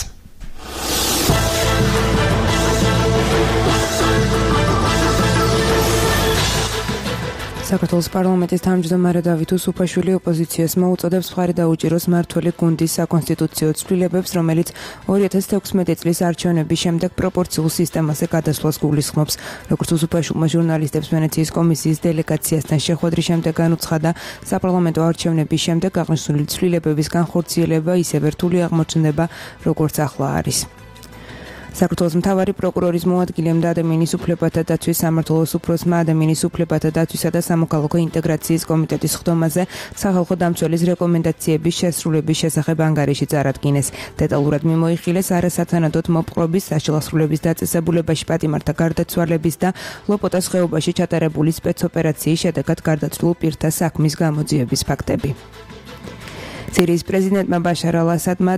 საქართველოს პარლამენტის თავმჯდომარე დავით უსუფაშვილი ოპოზიციას მოუწოდებს მხარი დაუჭიროს მმართველი გუნდის საკონსტიტუციო ცვლილებებს, რომელიც ორი ათას თექვსმეტი წლის არჩევნების შემდეგ პროპორციულ სისტემაზე გადასვლას გულისხმობს. როგორც უსუფაშვილმა ჟურნალისტებს ვენეციის კომისიის დელეგაციასთან შეხვედრის შემდეგ განუცხადა, საპარლამენტო არჩევნების შემდეგ აღნიშნული ცვლილებების განხორციელება ისევ რთული აღმოჩნდება, როგორც ახლა არის. საქართველოს მთავარი პროკურორის მოადგილემ და ადამიანის უფლებათა დაცვის სამმართველოს უფროსმა ადამიანის უფლებათა დაცვისა და სამოქალაქო ინტეგრაციის კომიტეტის ხდომაზე სახალხო დამცველის რეკომენდაციების შესრულების შესახებ ანგარიში წარადგინეს. დეტალურად მიმოიხილეს არასათანადოდ მოპყრობის, საშილახსრულების დაწესებულებაში პატიმართა გარდაცვალების და ლოპოტას ხეობაში ჩატარებული სპეცოპერაციის შედეგად გარდაცვლილ პირთა საქმის გამოძიების ფაქტები. სირიის პრეზიდენტმა ბაშარ ალ-ასადმა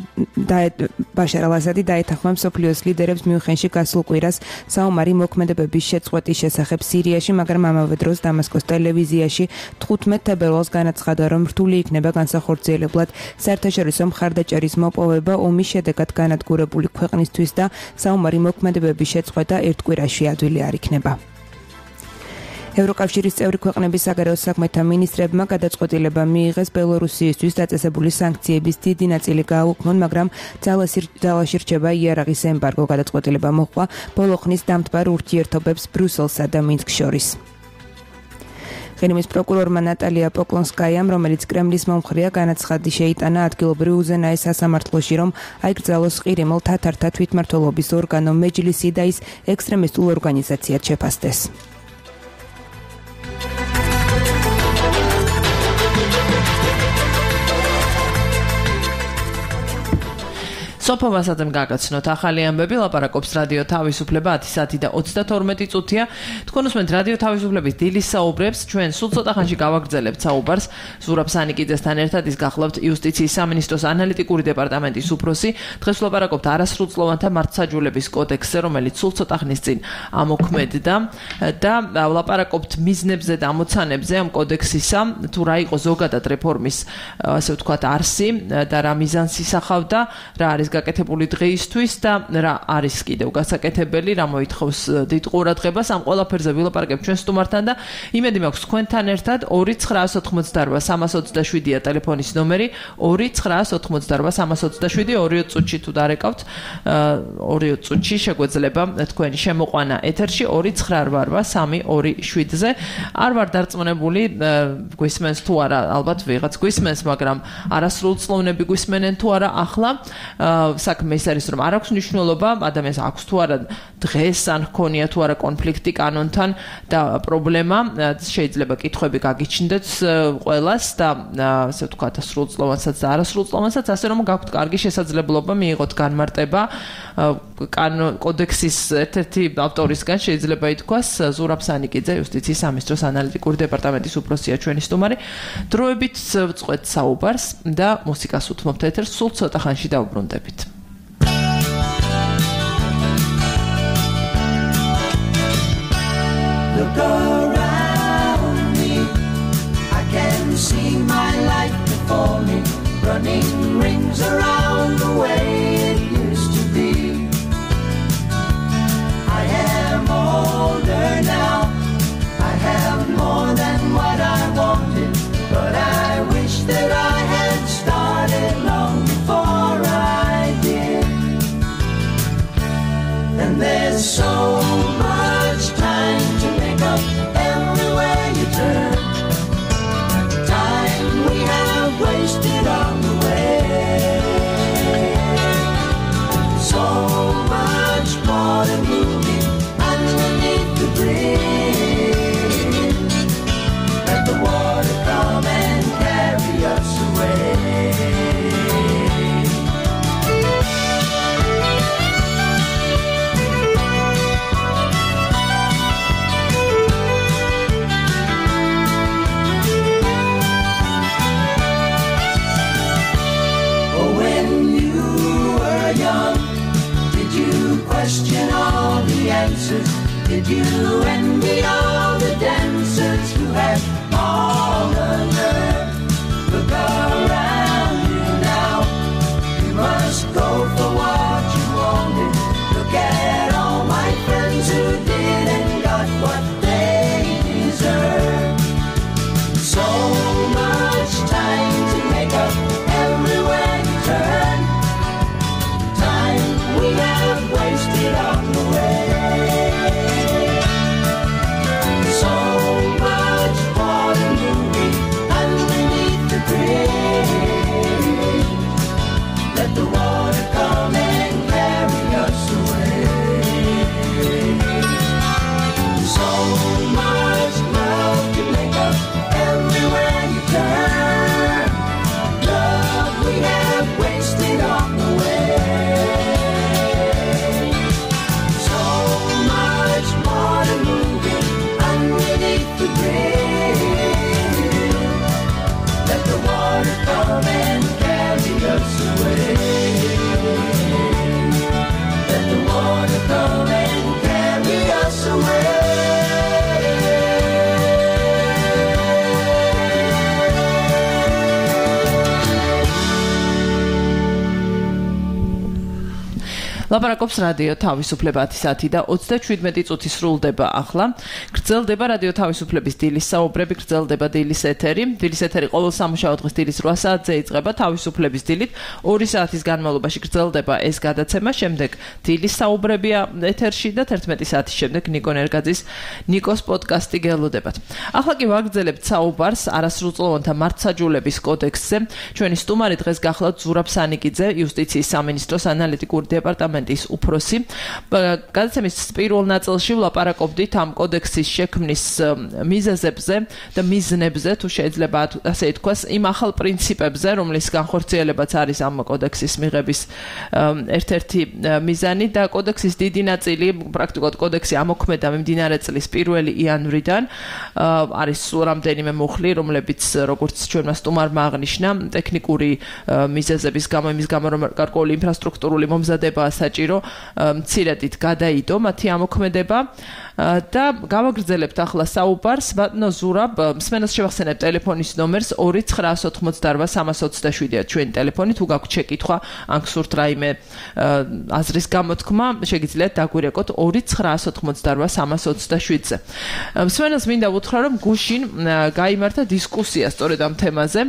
ბაშარ ალ-ასადი დაეთანხმა მსოფლიოს ლიდერებს მიუნხენში გასულ კვირას საომარი მოქმედებების შეწყვეტის შესახებ სირიაში, მაგრამ ამავე დროს დამასკოს ტელევიზიაში თხუთმეტ თებერვალს განაცხადა, რომ რთული იქნება განსახორციელებლად საერთაშორისო მხარდაჭერის მოპოვება ომის შედეგად განადგურებული ქვეყნისთვის და საომარი მოქმედებების შეწყვეტა ერთ კვირაში ადვილი არ იქნება. ევროკავშირის წევრი ქვეყნების საგარეო საქმეთა მინისტრებმა გადაწყვეტილება მიიღეს ბელორუსიისთვის დაწესებული სანქციების დიდი ნაწილი გააუქმონ, მაგრამ ძალაში რჩება იარაღის ემბარგო. გადაწყვეტილება მოჰყვა ბოლო ხნის დამთბარ ურთიერთობებს ბრიუსელსა და მინსკს შორის. ღენიმის პროკურორმა ნატალია პოკლონსკაიამ, რომელიც კრემლის მომხრეა, განაცხადი შეიტანა ადგილობრივ უზენაეს სასამართლოში, რომ აიკრძალოს ყირიმელ თათართა თვითმმართველობის ორგანო მეჯლისი და ის ექსტრემისტულ ორგანიზაციად შეფასდეს. სოფო ვასაძემ გაგაცნოთ ახალი ამბები, ლაპარაკობს რადიო თავისუფლება ათი საათი და ოცდათორმეტი წუთია. თქვენ უსმენთ რადიო თავისუფლების დილის საუბრებს, ჩვენ სულ ცოტა ხანში გავაგრძელებთ საუბარს ზურაბ სანიკიძესთან ერთად, ის გახლავთ იუსტიციის სამინისტროს ანალიტიკური დეპარტამენტის უფროსი. დღეს ვლაპარაკობთ არასრულწლოვანთა მართლმსაჯულების კოდექსზე, რომელიც სულ ცოტა ხნის წინ ამოქმედდა და ვლაპარაკობთ მიზნებზე და ამოცანებზე ამ კოდექსისა, თუ რა იყო ზოგადად რეფორმის, ასე ვთქვათ, არსი და რა მიზანს ისახავდა, რა არის გაკეთებული დღეისთვის და რა არის კიდევ გასაკეთებელი, რა მოითხოვს დიდ ყურადღებას. ამ ყველაფერზე ვილაპარაკებ ჩვენ სტუმართან და იმედი მაქვს თქვენთან ერთად ორი ცხრაას ოცდაოთხმოცდაორბა სამას ოცდაშვიდია ტელეფონის ნომერი, ორი ცხრაას ოცდაოთხმოცდაორბა სამას ოცდაშვიდი, ორი წუთში თუ დარეკავთ, ორი წუთში შეგვეძლება თქვენი შემოყვანა ეთერში ორი ცხრაასრვაასრვა სამი ორი შვიდზე. არ ვარ დარწმუნებული, გვისმენს თუ არა, ალბათ ვიღაც გვისმენს, მაგრამ არასრულწლოვნები გვისმენენ თუ არა ახლა. საქმე ის არის, რომ არ აქვს მნიშვნელობა ადამიანს აქვს თუ არა დღეს ან ჰქონია თუ არა კონფლიქტი კანონთან და პრობლემა, შეიძლება კითხვები გაგიჩნდეთ ყველას და ასე ვთქვათ სრულწლოვანსაც და არასრულწლოვანსაც, ასე რომ გაქვთ კარგი შესაძლებლობა მიიღოთ განმარტება კოდექსის ერთ-ერთი ავტორისგან, შეიძლება ითქვას ზურაბ სანიკიძე, იუსტიციის სამინისტროს ანალიტიკური დეპარტამენტის უფროსია ჩვენი სტუმარი. დროებით ვწყვეთ საუბარს და მუსიკას უთმობთ ეთერს, სულ ცოტა ხანში დავუბრუნდებით. Look around me, I can see my life before me, running rings around the way it used to be. I am older now, I have more than what I wanted, but I wish that I had started long before I wasted on the way. So much water moving underneath the bridge. Let the water come and carry us away. Question all the answers. Did you envy all the dancers who had all the nerve? Look around you now. You must go for what you wanted. Look at all my friends who did and got what they deserve. So much time to make up everywhere you turn. Time we have wasted on the way. So much water moving underneath the bridge. Let the water come and carry us away. So much love to make up everywhere you turn. Love we have wasted on the way. The bridge. Let the water come and carry us away. Let the water come and carry us away. ლაპარაკობს რადიო თავისუფლება ათი საათი და ოცდაშვიდმეტი წუთი სრულდება ახლა. გრძელდება რადიო თავისუფლების დილის საუბრები, გრძელდება დილის ეთერი. დილის ეთერი ყოველ სამუშაო დღეს დილის რვა საათზე იწყება თავისუფლების დილით. ორი საათის განმავლობაში გრძელდება ეს გადაცემა, შემდეგ დილის საუბრებია ეთერში და თერთმეტი საათის შემდეგ ნიკო ნერგაძის ნიკოს პოდკასტი გელოდებათ. ახლა კი ვაგრძელებთ საუბარს არასრულწლოვანთა მართსაჯულების კოდექსზე. ჩვენი სტუმარი დღეს გახლავთ ზურაბ სანიკიძე, იუსტიციის სამინისტროს ანალიტიკური დეპარტამენტის უფროსი. გადაცემის პირველ ნაწილში ვლაპარაკობდით ამ კოდექსის შექმნის მიზეზებზე და მიზნებზე, თუ შეიძლება ასე ითქვას, იმ ახალ პრინციპებზე, რომლის განხორციელებაც არის ამ კოდექსის მიღების ერთ-ერთი მიზანი და კოდექსის დიდი ნაწილი, პრაქტიკულად კოდექსი ამოქმედა მიმდინარე წლის პირველი იანვრიდან. არის რამდენიმე მუხლი, რომლებიც როგორც ჩვენმა სტუმარმა აღნიშნა, ტექნიკური მიზეზების გამო, იმის გამო, რომ გარკვეული ინფრასტრუქტურული მომზადებაა საჭირო, მცირედით გადაიდო მათი ამოქმედება და გავაგრძელებთ ახლა საუბარს. ბატონო ზურაბ, მსმენელს შევახსენებ ტელეფონის ნომერს ორი ცხრაას ოთხმოცდარვა სამას ოცდაშვიდია ჩვენი ტელეფონი. თუ გაქვთ შეკითხვა, ან გსურთ რაიმე აზრის გამოთქმა, შეგიძლიათ დაგვირეკოთ ორი ცხრაას ოთხმოცდარვა სამას ოცდაშვიდზე. მსმენელს მინდა უთხრა, რომ გუშინ გაიმართა დისკუსია სწორედ ამ თემაზე.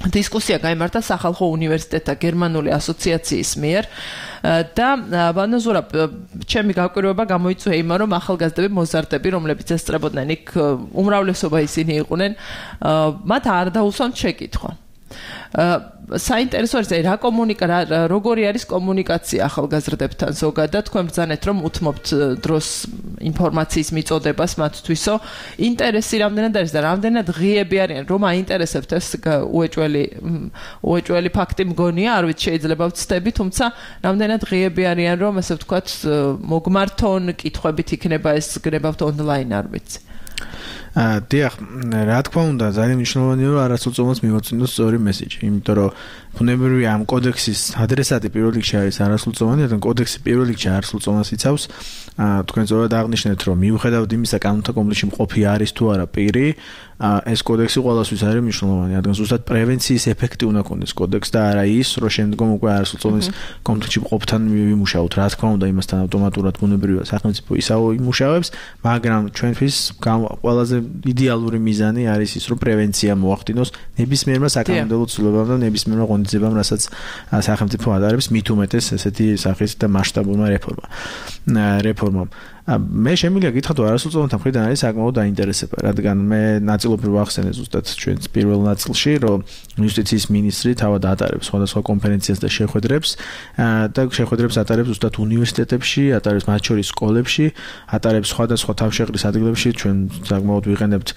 დისკუსია გაიმართა სახალხო უნივერსიტეტთა გერმანული ასოციაციის მიერ და ბატონო ზურაბ, ჩემი გაკვირვება გამოიწვია იმან, რომ ახალგაზრდები მოზარდები, რომლებიც ესწრებოდნენ იქ, უმრავლესობა ისინი იყვნენ, მათ არ დაუსვამთ შეკითხვა. საინტერესო არის რა კომუნიკა როგორი არის კომუნიკაცია ახალგაზრდებთან ზოგადად. თქვენ ბრძანეთ რომ უთმობთ დროს ინფორმაციის მიწოდებას მათთვისო. ინტერესი რამდენად არის და რამდენად ღიები არიან, რომ აინტერესებთ ეს უეჭველი უეჭველი ფაქტი მგონია, არ ვიცი შეიძლება ვცდები, თუმცა რამდენად ღიები არიან, რომ ასე ვთქვათ მოგმართონ კითხვებით იქნება ეს გნებავთ ონლაინ, არ ვიცი. დიახ, რა თქმა უნდა, ძალიან მნიშვნელოვანია რომ არასრულწლოვანს მივაწვინოს სწორი მესიჯი, იმიტომ რომ ბუნებრივია ამ კოდექსის ადრესატი პირველ რიგში არის არასრულწლოვანი, რადგან კოდექსი პირველ რიგში არასრულწლოვანს იცავს. თქვენ სწორად აღნიშნეთ, რომ მიუხედავად იმისა, კანონთა კომპლექსში მყოფი არის თუ არა პირი, ეს კოდექსი ყველასთვის არის მნიშვნელოვანი, რადგან ზუსტად პრევენციის ეფექტი უნდა ქონდეს კოდექსს და არა ის, რომ შემდგომ უკვე არასრულწლოვანის კომპლექსში მყოფთან ვიმუშაოთ. რა თქმა უნდა, იმასთან ავტომატურად ბუნებრივია სახელმწიფო ისაო იმუშავებს, მაგრამ ჩვენთვის ყველაზე იდეალური მიზანი არის ის, რომ პრევენცია მოახდინოს ნებისმიერმა საკანონმდებლო ცვლილებამ და ნებისმიერმა ღონისძიებამ, რასაც სახელმწიფო ატარებს, მით უმეტეს ესეთი სახის და მასშტაბურმა რეფორმა. რეფორმამ. მე შემიძლია გითხრათ, რომ არასრულწლოვანთა მხრიდან არის საკმაოდ დაინტერესება, რადგან მე ნაწილობრივ ვახსენე ზუსტად ჩვენს პირველ ნაწილში, რომ იუსტიციის მინისტრი თავად ატარებს სხვადასხვა კონფერენციას და შეხვედრებს და შეხვედრებს ატარებს ზუსტად უნივერსიტეტებში, ატარებს მათ შორის სკოლებში, ატარებს სხვადასხვა თავშეყრის ადგილებში, ჩვენ საკმაოდ ვიყენებთ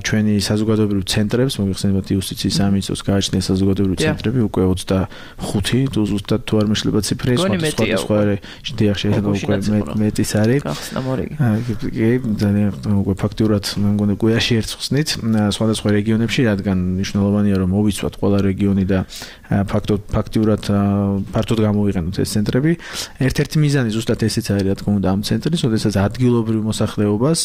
ჩვენი საზოგადოებრივ ცენტრებს, მოგეხსენებათ იუსტიციის სამინისტროს გააჩნია საზოგადოებრივი ცენტრები, უკვე ოცდახუთი, თუ ზუსტად თუ არ მეშლება ციფრი, სხვადასხვა შედიახ შეიძლება უკვე მეტის არის. კი, ძალიან უკვე ფაქტურად მე მგონი გვიაში ერთ ხსნით სხვადასხვა რეგიონებში, რადგან მნიშვნელოვანია რომ მოვიცვათ ყველა რეგიონი და ფაქტობ ფაქტურად ფართოდ გამოვიყენოთ ეს ცენტრები. ერთ-ერთი მიზანი ზუსტად ესეც არის, რა თქმა უნდა, ამ ცენტრის, ოდესაც ადგილობრივ მოსახლეობას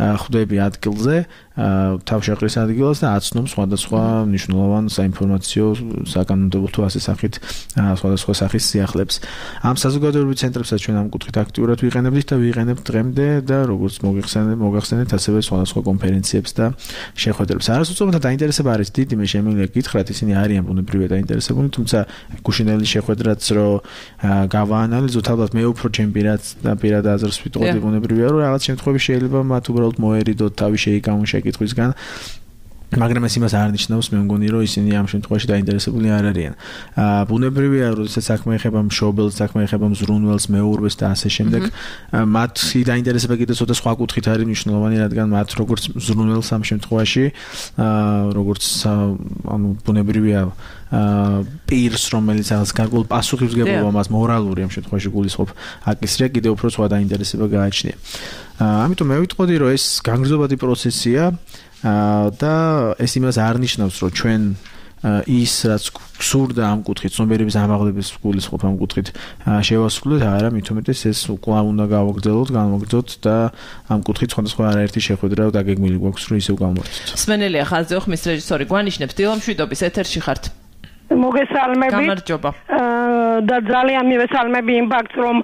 ხვდები ადგილზე, თავშეყრის ადგილას და აცნობს სხვადასხვა მნიშვნელოვან საინფორმაციო საკანონმდებლო თუ ასე სახით სხვადასხვა სახის სიახლეებს. ამ საზოგადოებრივ ცენტრებსაც ჩვენ ამ კუთხით აქტიურად ვიყენებთ და ვიყენებთ დღემდე და როგორც მოგიხსენებთ, მოგახსენეთ ასევე სხვადასხვა კონფერენციებს და შეხვედრებს. არასრულწლოვანთა დაინტერესება არის დიდი, მე შემიძლია გითხრათ, ისინი არიან ბუნებრივად დაინტერესებული, თუმცა გუშინელი შეხვედრაც რო გავაანალიზოთ, ალბათ მე უფრო ჩემ პირად და პირად აზრს ვიტყოდი ბუნებრივია, რომ რაღაც შემთხვევებში შეიძლება მათ უბრალოდ მოერიდოთ თავი შეიკავონ შეკითხვისგან. მაგრამ ეს იმას არ ნიშნავს, მე მგონი, რომ ისინი ამ შემთხვევაში დაინტერესებული არ არიან. აა ბუნებრივია, როდესაც საქმე ეხება მშობელს, საქმე ეხება მზრუნველს, მეურვეს და ასე შემდეგ, მათი დაინტერესება კიდევ ცოტა სხვა კუთხით არის მნიშვნელოვანი, რადგან მათ როგორც მზრუნველს ამ შემთხვევაში, აა როგორც ანუ ბუნებრივია პირს, რომელიც რაღაც გარკვეულ პასუხისმგებლობა მას მორალური ამ შემთხვევაში გულისხმობ, აკისრია კიდევ უფრო სხვა დაინტერესება გააჩნია. ამიტომ მე ვიტყოდი, რომ ეს განგრძობადი პროცესია და ეს იმას არ ნიშნავს, რომ ჩვენ ის რაც გსურდა ამ კუთხით, ცნობიერების ამაღლების გულისხმობ ამ კუთხით შევასრულოთ, არა, მით უმეტეს ეს კვლავ უნდა გავაგრძელოთ, განვაგრძოთ და ამ კუთხით სხვადასხვა არაერთი შეხვედრა დაგეგმილი გვაქვს, რომ ისევ გავმართოთ. სმენელია ხაზზე ხმის რეჟისორი გვანიშნებს, დილამშვიდობის ეთერში ხართ. მოგესალმებით. გამარჯობა. და ძალიან მივესალმები იმ ფაქტს, რომ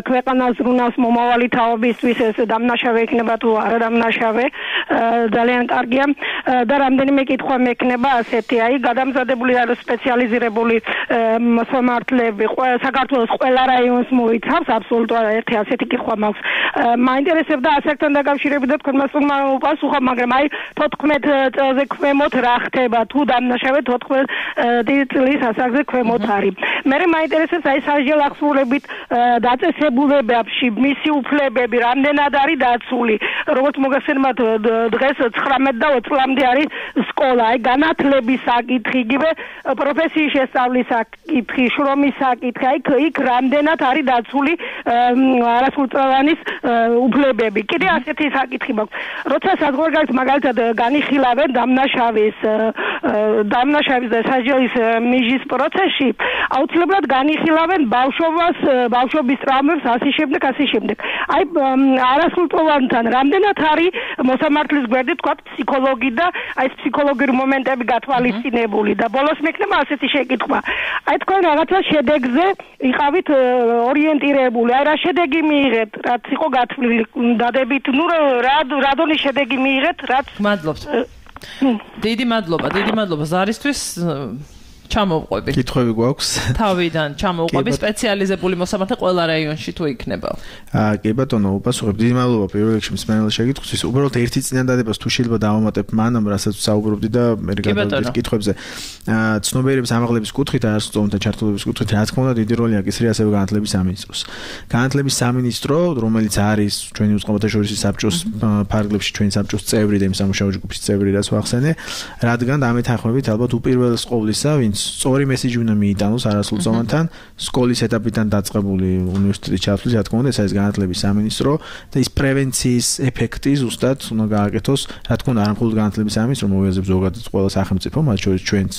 ქვეყანას ზრუნავს მომავალი თაობისთვის ეს დამნაშავე იქნება თუ არა დამნაშავე, ძალიან კარგია და რამდენიმე კითხვა მექნება ასეთი, აი გადამზადებული არის სპეციალიზირებული მოსამართლეები საქართველოს ყველა რაიონს მოიცავს, აბსოლუტურად ერთი ასეთი კითხვა მაქვს. მაინტერესებდა ასაკთან დაკავშირებით და თქვენმა სტუმარმა უპასუხა, მაგრამ აი თოთხმეტ წელზე ქვემოთ რა ხდება, თუ დამნაშავე თოთხმეტ წლის ასაკზე ქვემოთ არის. მე მაინტერესებს აი სასჯელ ახსნილებით დაწესებულებებში მისი უფლებები რამდენად არის დაცული. როგორც მოგახსენებათ, დღეს ცხრამეტ და ოცი წლამდე არის სკოლა, აი განათლების საკითხი, იგივე პროფესიის შესწავლის საკითხი, შრომის საკითხი, აი იქ რამდენად არის დაცული არასრულწლოვანის უფლებები. კიდე ასეთი საკითხი მაქვს. როცა საზღვარგარეთ მაგალითად განიხილავენ დამნაშავის დამნაშავის და სასჯელის მიჟის პროცესში, აუცილებლად განიხილავენ ბავშვობას, ბავშვობის ტრავმებს, ასე შემდეგ, ასე შემდეგ. აი არასრულწლოვანთან რამდენად არის მოსამართლის გვერდით თქვა ფსიქოლოგი და აი ეს ფსიქოლოგიური მომენტები გათვალისწინებული და ბოლოს მექნება ასეთი შეკითხვა. აი თქვენ რაღაცა შედეგზე იყავით ორიენტირებული. აი რა შედეგი მიიღეთ, რაც იყო გათვლილი დადებით, ნუ რა რა დონის შედეგი მიიღეთ, რაც მადლობთ. დიდი მადლობა, დიდი მადლობა ზარისთვის. ჩამოვყვები. კითხვები გვაქვს? თავიდან ჩამოვყვები სპეციალიზებული მოსამართლე ყველა რაიონში თუ იქნება. აა კი ბატონო, უპასუხებ. დიდი მადლობა პირველ რიგში მსმენელის შეკითხვისთვის. უბრალოდ ერთი წინადადებას თუ შეიძლება დავამატებ მანამ, რასაც საუბრობდი და მე გადავიდეთ კითხვებზე. აა ცნობიერების ამაღლების კუთხით, არასრულწლოვანთა ჩართულობის კუთხით, რა თქმა უნდა, დიდი როლი აკისრია ასევე განათლების სამინისტროს. განათლების სამინისტრო, რომელიც არის ჩვენი უწყებათა შორისი საბჭოს ფარგლებში ჩვენი საბჭოს წევრი და იმ სამუშაო ჯგუფის წევრი, რაც ვახსენე, რადგან ამეთანხმებით ალბათ უპირველეს ყოვლისა, ვინც სწორი მესიჯი უნდა მიიტანოს არასრულწლოვანთან სკოლის ეტაპიდან დაწყებული უნივერსიტეტის ჩათვლის, რა თქმა უნდა, ეს არის განათლების სამინისტრო და ის პრევენციის ეფექტი ზუსტად უნდა გააკეთოს, რა თქმა უნდა, არა მხოლოდ განათლების სამინისტრო, მოვიაზებს ზოგადად ყველა სახელმწიფო, მათ შორის ჩვენც,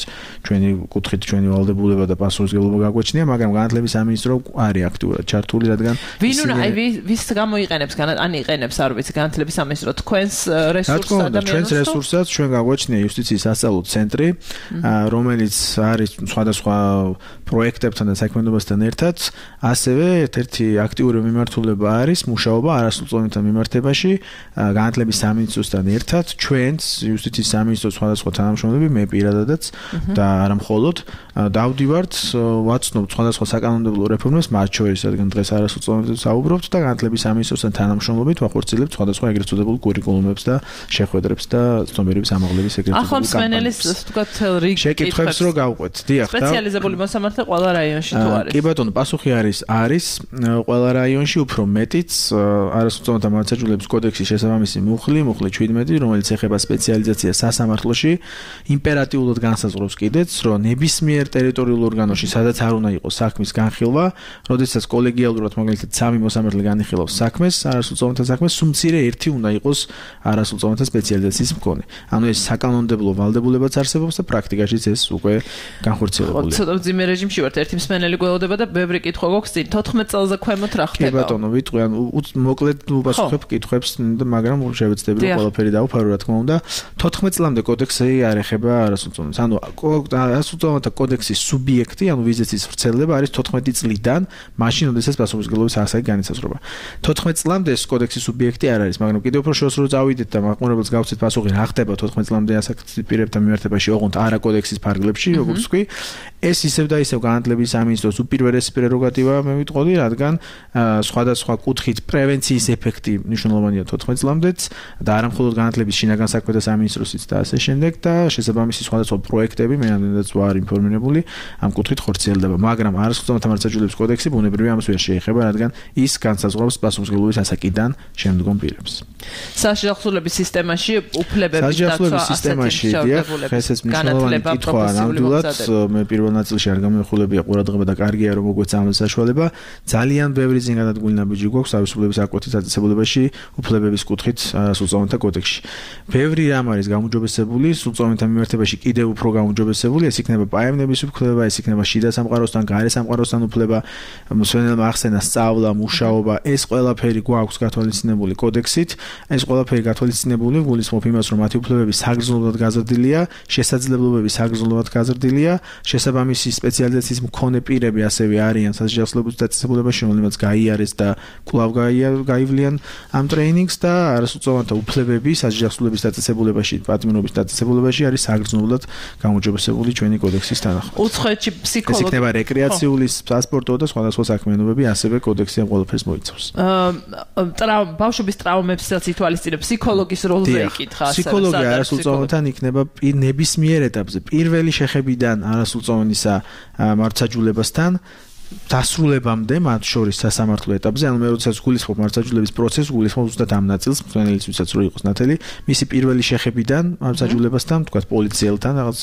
ჩვენი კუთხით, ჩვენი ვალდებულება და პასუხისმგებლობა გაგვაჩნია, მაგრამ განათლების სამინისტრო არის აქტიურად ჩართული, რადგან ვინ უნდა აი ვის გამოიყენებს, ან იყენებს, არ ვიცი, განათლების სამინისტრო თქვენს რესურსს ადამიანს? ჩვენს რესურსსაც ჩვენ გაგვაჩნია იუსტიციის სასწავლო ცენტრი, რომელიც არის სხვადასხვა პროექტებთან და საქმიანობასთან ერთად, ასევე ერთ-ერთი აქტიური მიმართულება არის მუშაობა არასრულწლოვანთა მიმართებაში განათლების სამინისტროსთან ერთად, ჩვენც იუსტიციის სამინისტროს სხვადასხვა თანამშრომლები, მე პირადადაც და არა მხოლოდ დავდივართ, ვაცნობთ სხვადასხვა საკანონმდებლო რეფორმებს, მათ შორის რადგან დღეს არასრულწლოვანებზე საუბრობთ და განათლების სამინისტროსთან თანამშრომლობით ვახორციელებთ სხვადასხვა ეგრეთ წოდებულ კურიკულუმებს და შეხვედრებს და ცნობიერების ამაღლების ეგრეთ წოდებული ახლა მსმენელის თქვათ რიგ შეკითხვებს რო გავყვეთ. დიახ, სპეციალიზებული მოსამართლე ყველა რაიონში თუ არის. კი ბატონო, პასუხი არის, არის ყველა რაიონში უფრო მეტიც არასრულწლოვანთა მართლმსაჯულების კოდექსის შესაბამისი მუხლი, მუხლი შვიდმეტი, რომელიც ეხება სპეციალიზაციას სასამართლოში, იმპერატიულად განსაზღვრავს კიდეც, რომ ნებისმიერ ტერიტორიულ ორგანოში, სადაც არ უნდა იყოს საქმის განხილვა, როდესაც კოლეგიალურად მაგალითად სამი მოსამართლე განიხილავს საქმეს, არასრულწლოვანთა საქმეს, სუმცირე ერთი უნდა იყოს არასრულწლოვანთა სპეციალიზაციის მქონე. ანუ ეს საკანონმდებლო ვალდებულებაც არსებობს და პრაქტიკაშიც ეს უკვე განხორციელებულია. ცოტა ძიმე რეჟიმში ვართ, ერთი მსმენელი გველოდება და ბევრი კითხვა გვაქვს წინ. თოთხმეტ წელზე ქვემოთ რა ხდება? კი ბატონო, ვიტყვი, ანუ მოკლედ უპასუხებ კითხვებს, მაგრამ შევეცდები რომ ყველაფერი დავფარო, რა თქმა უნდა. თოთხმეტ წლამდე კოდექსი არ ეხება არასრულწლოვანს. ანუ არასრულწლოვანთა კოდექსის სუბიექტი, ანუ ვიზიტის ვრცელდება არის თოთხმეტი წლიდან, მაშინ როდესაც პასუხისმგებლობის ასაკი განისაზღვრება. თოთხმეტ წლამდე ეს კოდექსის სუბიექტი არ არის, მაგრამ კიდევ უფრო შორს რო წავიდეთ და მაყურებელს გავცეთ პასუხი რა ხდება თოთხმეტ წლამდე ასაკის პირებთან მიმართებაში, ოღონდ არა კოდექსის ფარგლებში, როგორც ვთქვი, ეს ისევ და ისევ განათლების სამინისტროს უპირველესი პრეროგატივაა, მე ვიტყოდი, რადგან სხვადასხვა კუთხით პრევენციის ეფექტი მნიშვნელოვანია თოთხმეტ წლამდეც და არა მხოლოდ განათლების შინაგან საქმეთა სამინისტროსიც და ასე შემდეგ და შესაბამისი სხვადასხვა პროექტები მე ამდენადაც ვარ ინფორმირებული ამ კუთხით ხორციელდება, მაგრამ არასრულწლოვანთა მართლმსაჯულების კოდექსი ბუნებრივია ამას ვერ შეეხება, რადგან ის განსაზღვრავს პასუხისმგებლობის ასაკიდან შემდგომ პირებს. საშიახსოვრების სისტემაში უფლებების დაცვა საშიახსოვრების სისტემაში დიახ, ესეც მნიშვნელოვანი კითხვაა ნამდვილად, მე პირველ ნაწილში არ გამოვიხულებია ყურადღება და კარგია რომ მოგვეცა ამ საშუალება. ძალიან ბევრი ზინგადადგმული ნაბიჯი გვაქვს თავისუფლების აკვეთის დაწესებულებაში უფლებების კუთხით სრულწლოვანთა კოდექსში. ბევრი რამ არის გამოჯობესებული სრულწლოვანთა მიმართებაში კიდევ უფრო გამოჯობესებული, ეს იქნება პაემნების უფლება, ეს იქნება შიდა სამყაროსთან, გარე სამყაროსთან უფლება, მსვენელმა ახსენა სწავლა, მუშაობა, ეს ყველაფერი გვაქვს გათვალისწინებული კოდექსით. ეს ყველაფერი გათვალისწინებული გულისხმობ იმას, რომ მათი უფლებები საგრძნობლად გაზრდილია, შესაძლებლობები საგრძნობლად გაზრდილია, შესაბამისი სპეციალიზაციის მქონე პირები ასევე არიან სასჯელობის დაწესებულებაში, რომელმაც გაიარეს და კვლავ გაივლიან ამ ტრეინინგს და არასრულწლოვანთა უფლებები სასჯელობის დაწესებულებაში, პატიმრობის დაწესებულებაში არის საგრძნობლად გამოჯობესებული ჩვენი კოდექსის თანახმად. უცხოეთში ფსიქოლოგი ეს იქნება რეკრეაციული, სპორტო და სხვადასხვა საქმიანობები, ასევე კოდექსი ამ ყველაფერს მოიცავს. აა ბავშვების ტრავმებსაც ითვალისწინებს, ფსიქოლოგის როლზე იკითხა ასევე. ფსიქოლოგი არასრულწლოვანთან იქნება ნებისმიერ ეტაპზე, პირველი შეხებიდან არასრულწლოვანისა მართლმსაჯულებასთან დასრულებამდე, მათ შორის სასამართლო ეტაპზე, ანუ მე როდესაც გულისხმობ მართლმსაჯულების პროცესს, გულისხმობ ზუსტად ამ ნაწილს, მსმენელის ვისაც რო იყოს ნათელი, მისი პირველი შეხებიდან მართლმსაჯულებასთან, თქვათ პოლიციელთან, რაღაც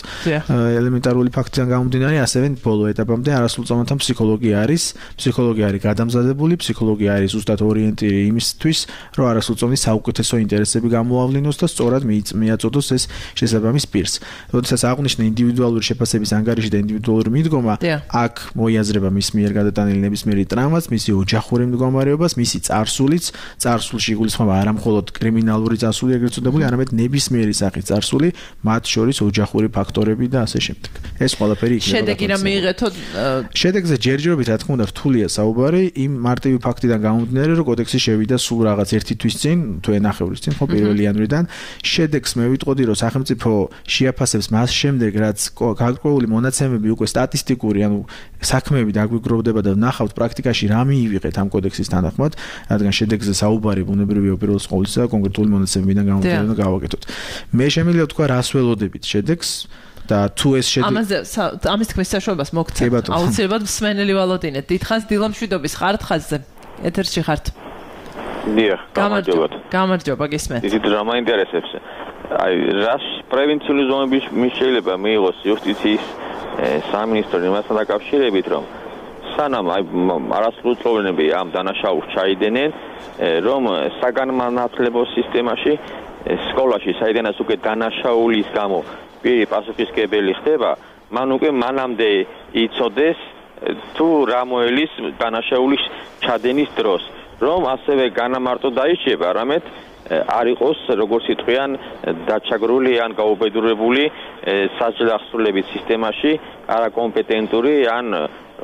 ელემენტარული ფაქტიდან გამომდინარე, ასევე ბოლო ეტაპამდე არასრულწლოვანთა ფსიქოლოგი არის, ფსიქოლოგი არის გადამზადებული, ფსიქოლოგი არის ზუსტად ორიენტირი იმისთვის, რომ არასრულწლოვნის საუკეთესო ინტერესები გამოავლინოს და სწორად მიაწოდოს ეს შესაბამის პირს. როდესაც აღნიშნე ინდივიდუალური შეფასების ანგარიში და ინდივიდუალური მიდგომა, აქ მოიაზრება მის მიერ გადატანილი ნებისმიერი ტრავმაც, მისი ოჯახური მდგომარეობას, მისი წარსულიც, წარსულში იგულისხმება არა მხოლოდ კრიმინალური წარსული, ეგრეთ წოდებული, არამედ ნებისმიერი სახის წარსული, მათ შორის ოჯახური ფაქტორები და ასე შემდეგ. ეს ყველაფერი იქნება. შედეგი რა მიიღეთო? შედეგზე ჯერჯერობით, რა თქმა უნდა, რთულია საუბარი, იმ მარტივი ფაქტიდან გამომდინარე, რომ კოდექსი შევიდა სულ რაღაც ერთი თვის წინ, თუ ენახევრის წინ, ხო, პირველი იანვრიდან. შედეგს მე ვიტყოდი, რომ სახელმწიფო შეაფასებს მას შემდეგ, რაც გარკვეული მონაცემები უკვე სტატისტიკური, ანუ საქმეები დაგვიგროვდება და ვნახავთ პრაქტიკაში რა მიივიღეთ ამ კოდექსის თანახმად, რადგან შედეგზე საუბარი ბუნებრივია უპირველეს ყოვლისა და კონკრეტული მონაცემებიდან გამომდინარე და გავაკეთოთ. მე შემიძლია თქვა რას ველოდებით შედეგს და თუ ეს შედეგი ამაზე ამის თქმის საშუალებას მოგცემ. აუცილებლად მსმენელი ვალოდინეთ. დიდხანს დილამშვიდობის ხართ ხაზზე. ეთერში ხართ. დიახ, გამარჯობა. გამარჯობა, გისმენთ. დიდი დრამა ინტერესებს. აი, რას პრევენციული ზონები შეიძლება მიიღოს იუსტიციის სამინისტრო იმასთან დაკავშირებით, რომ სანამ აი არასრულწლოვანები ამ დანაშაულს ჩაიდენენ, რომ საგანმანათლებლო სისტემაში სკოლაში, საიდანაც უკვე დანაშაულის გამო პირი პასუხისმგებელი ხდება, მან უკვე მანამდე იცოდეს თუ რა მოელის დანაშაულის ჩადენის დროს, რომ ასევე განამარტო დაიჭება, არამედ არ იყოს როგორც იტყვიან დაჩაგრული ან გაუბედურებული სასჯელახსრულების სისტემაში არაკომპეტენტური ან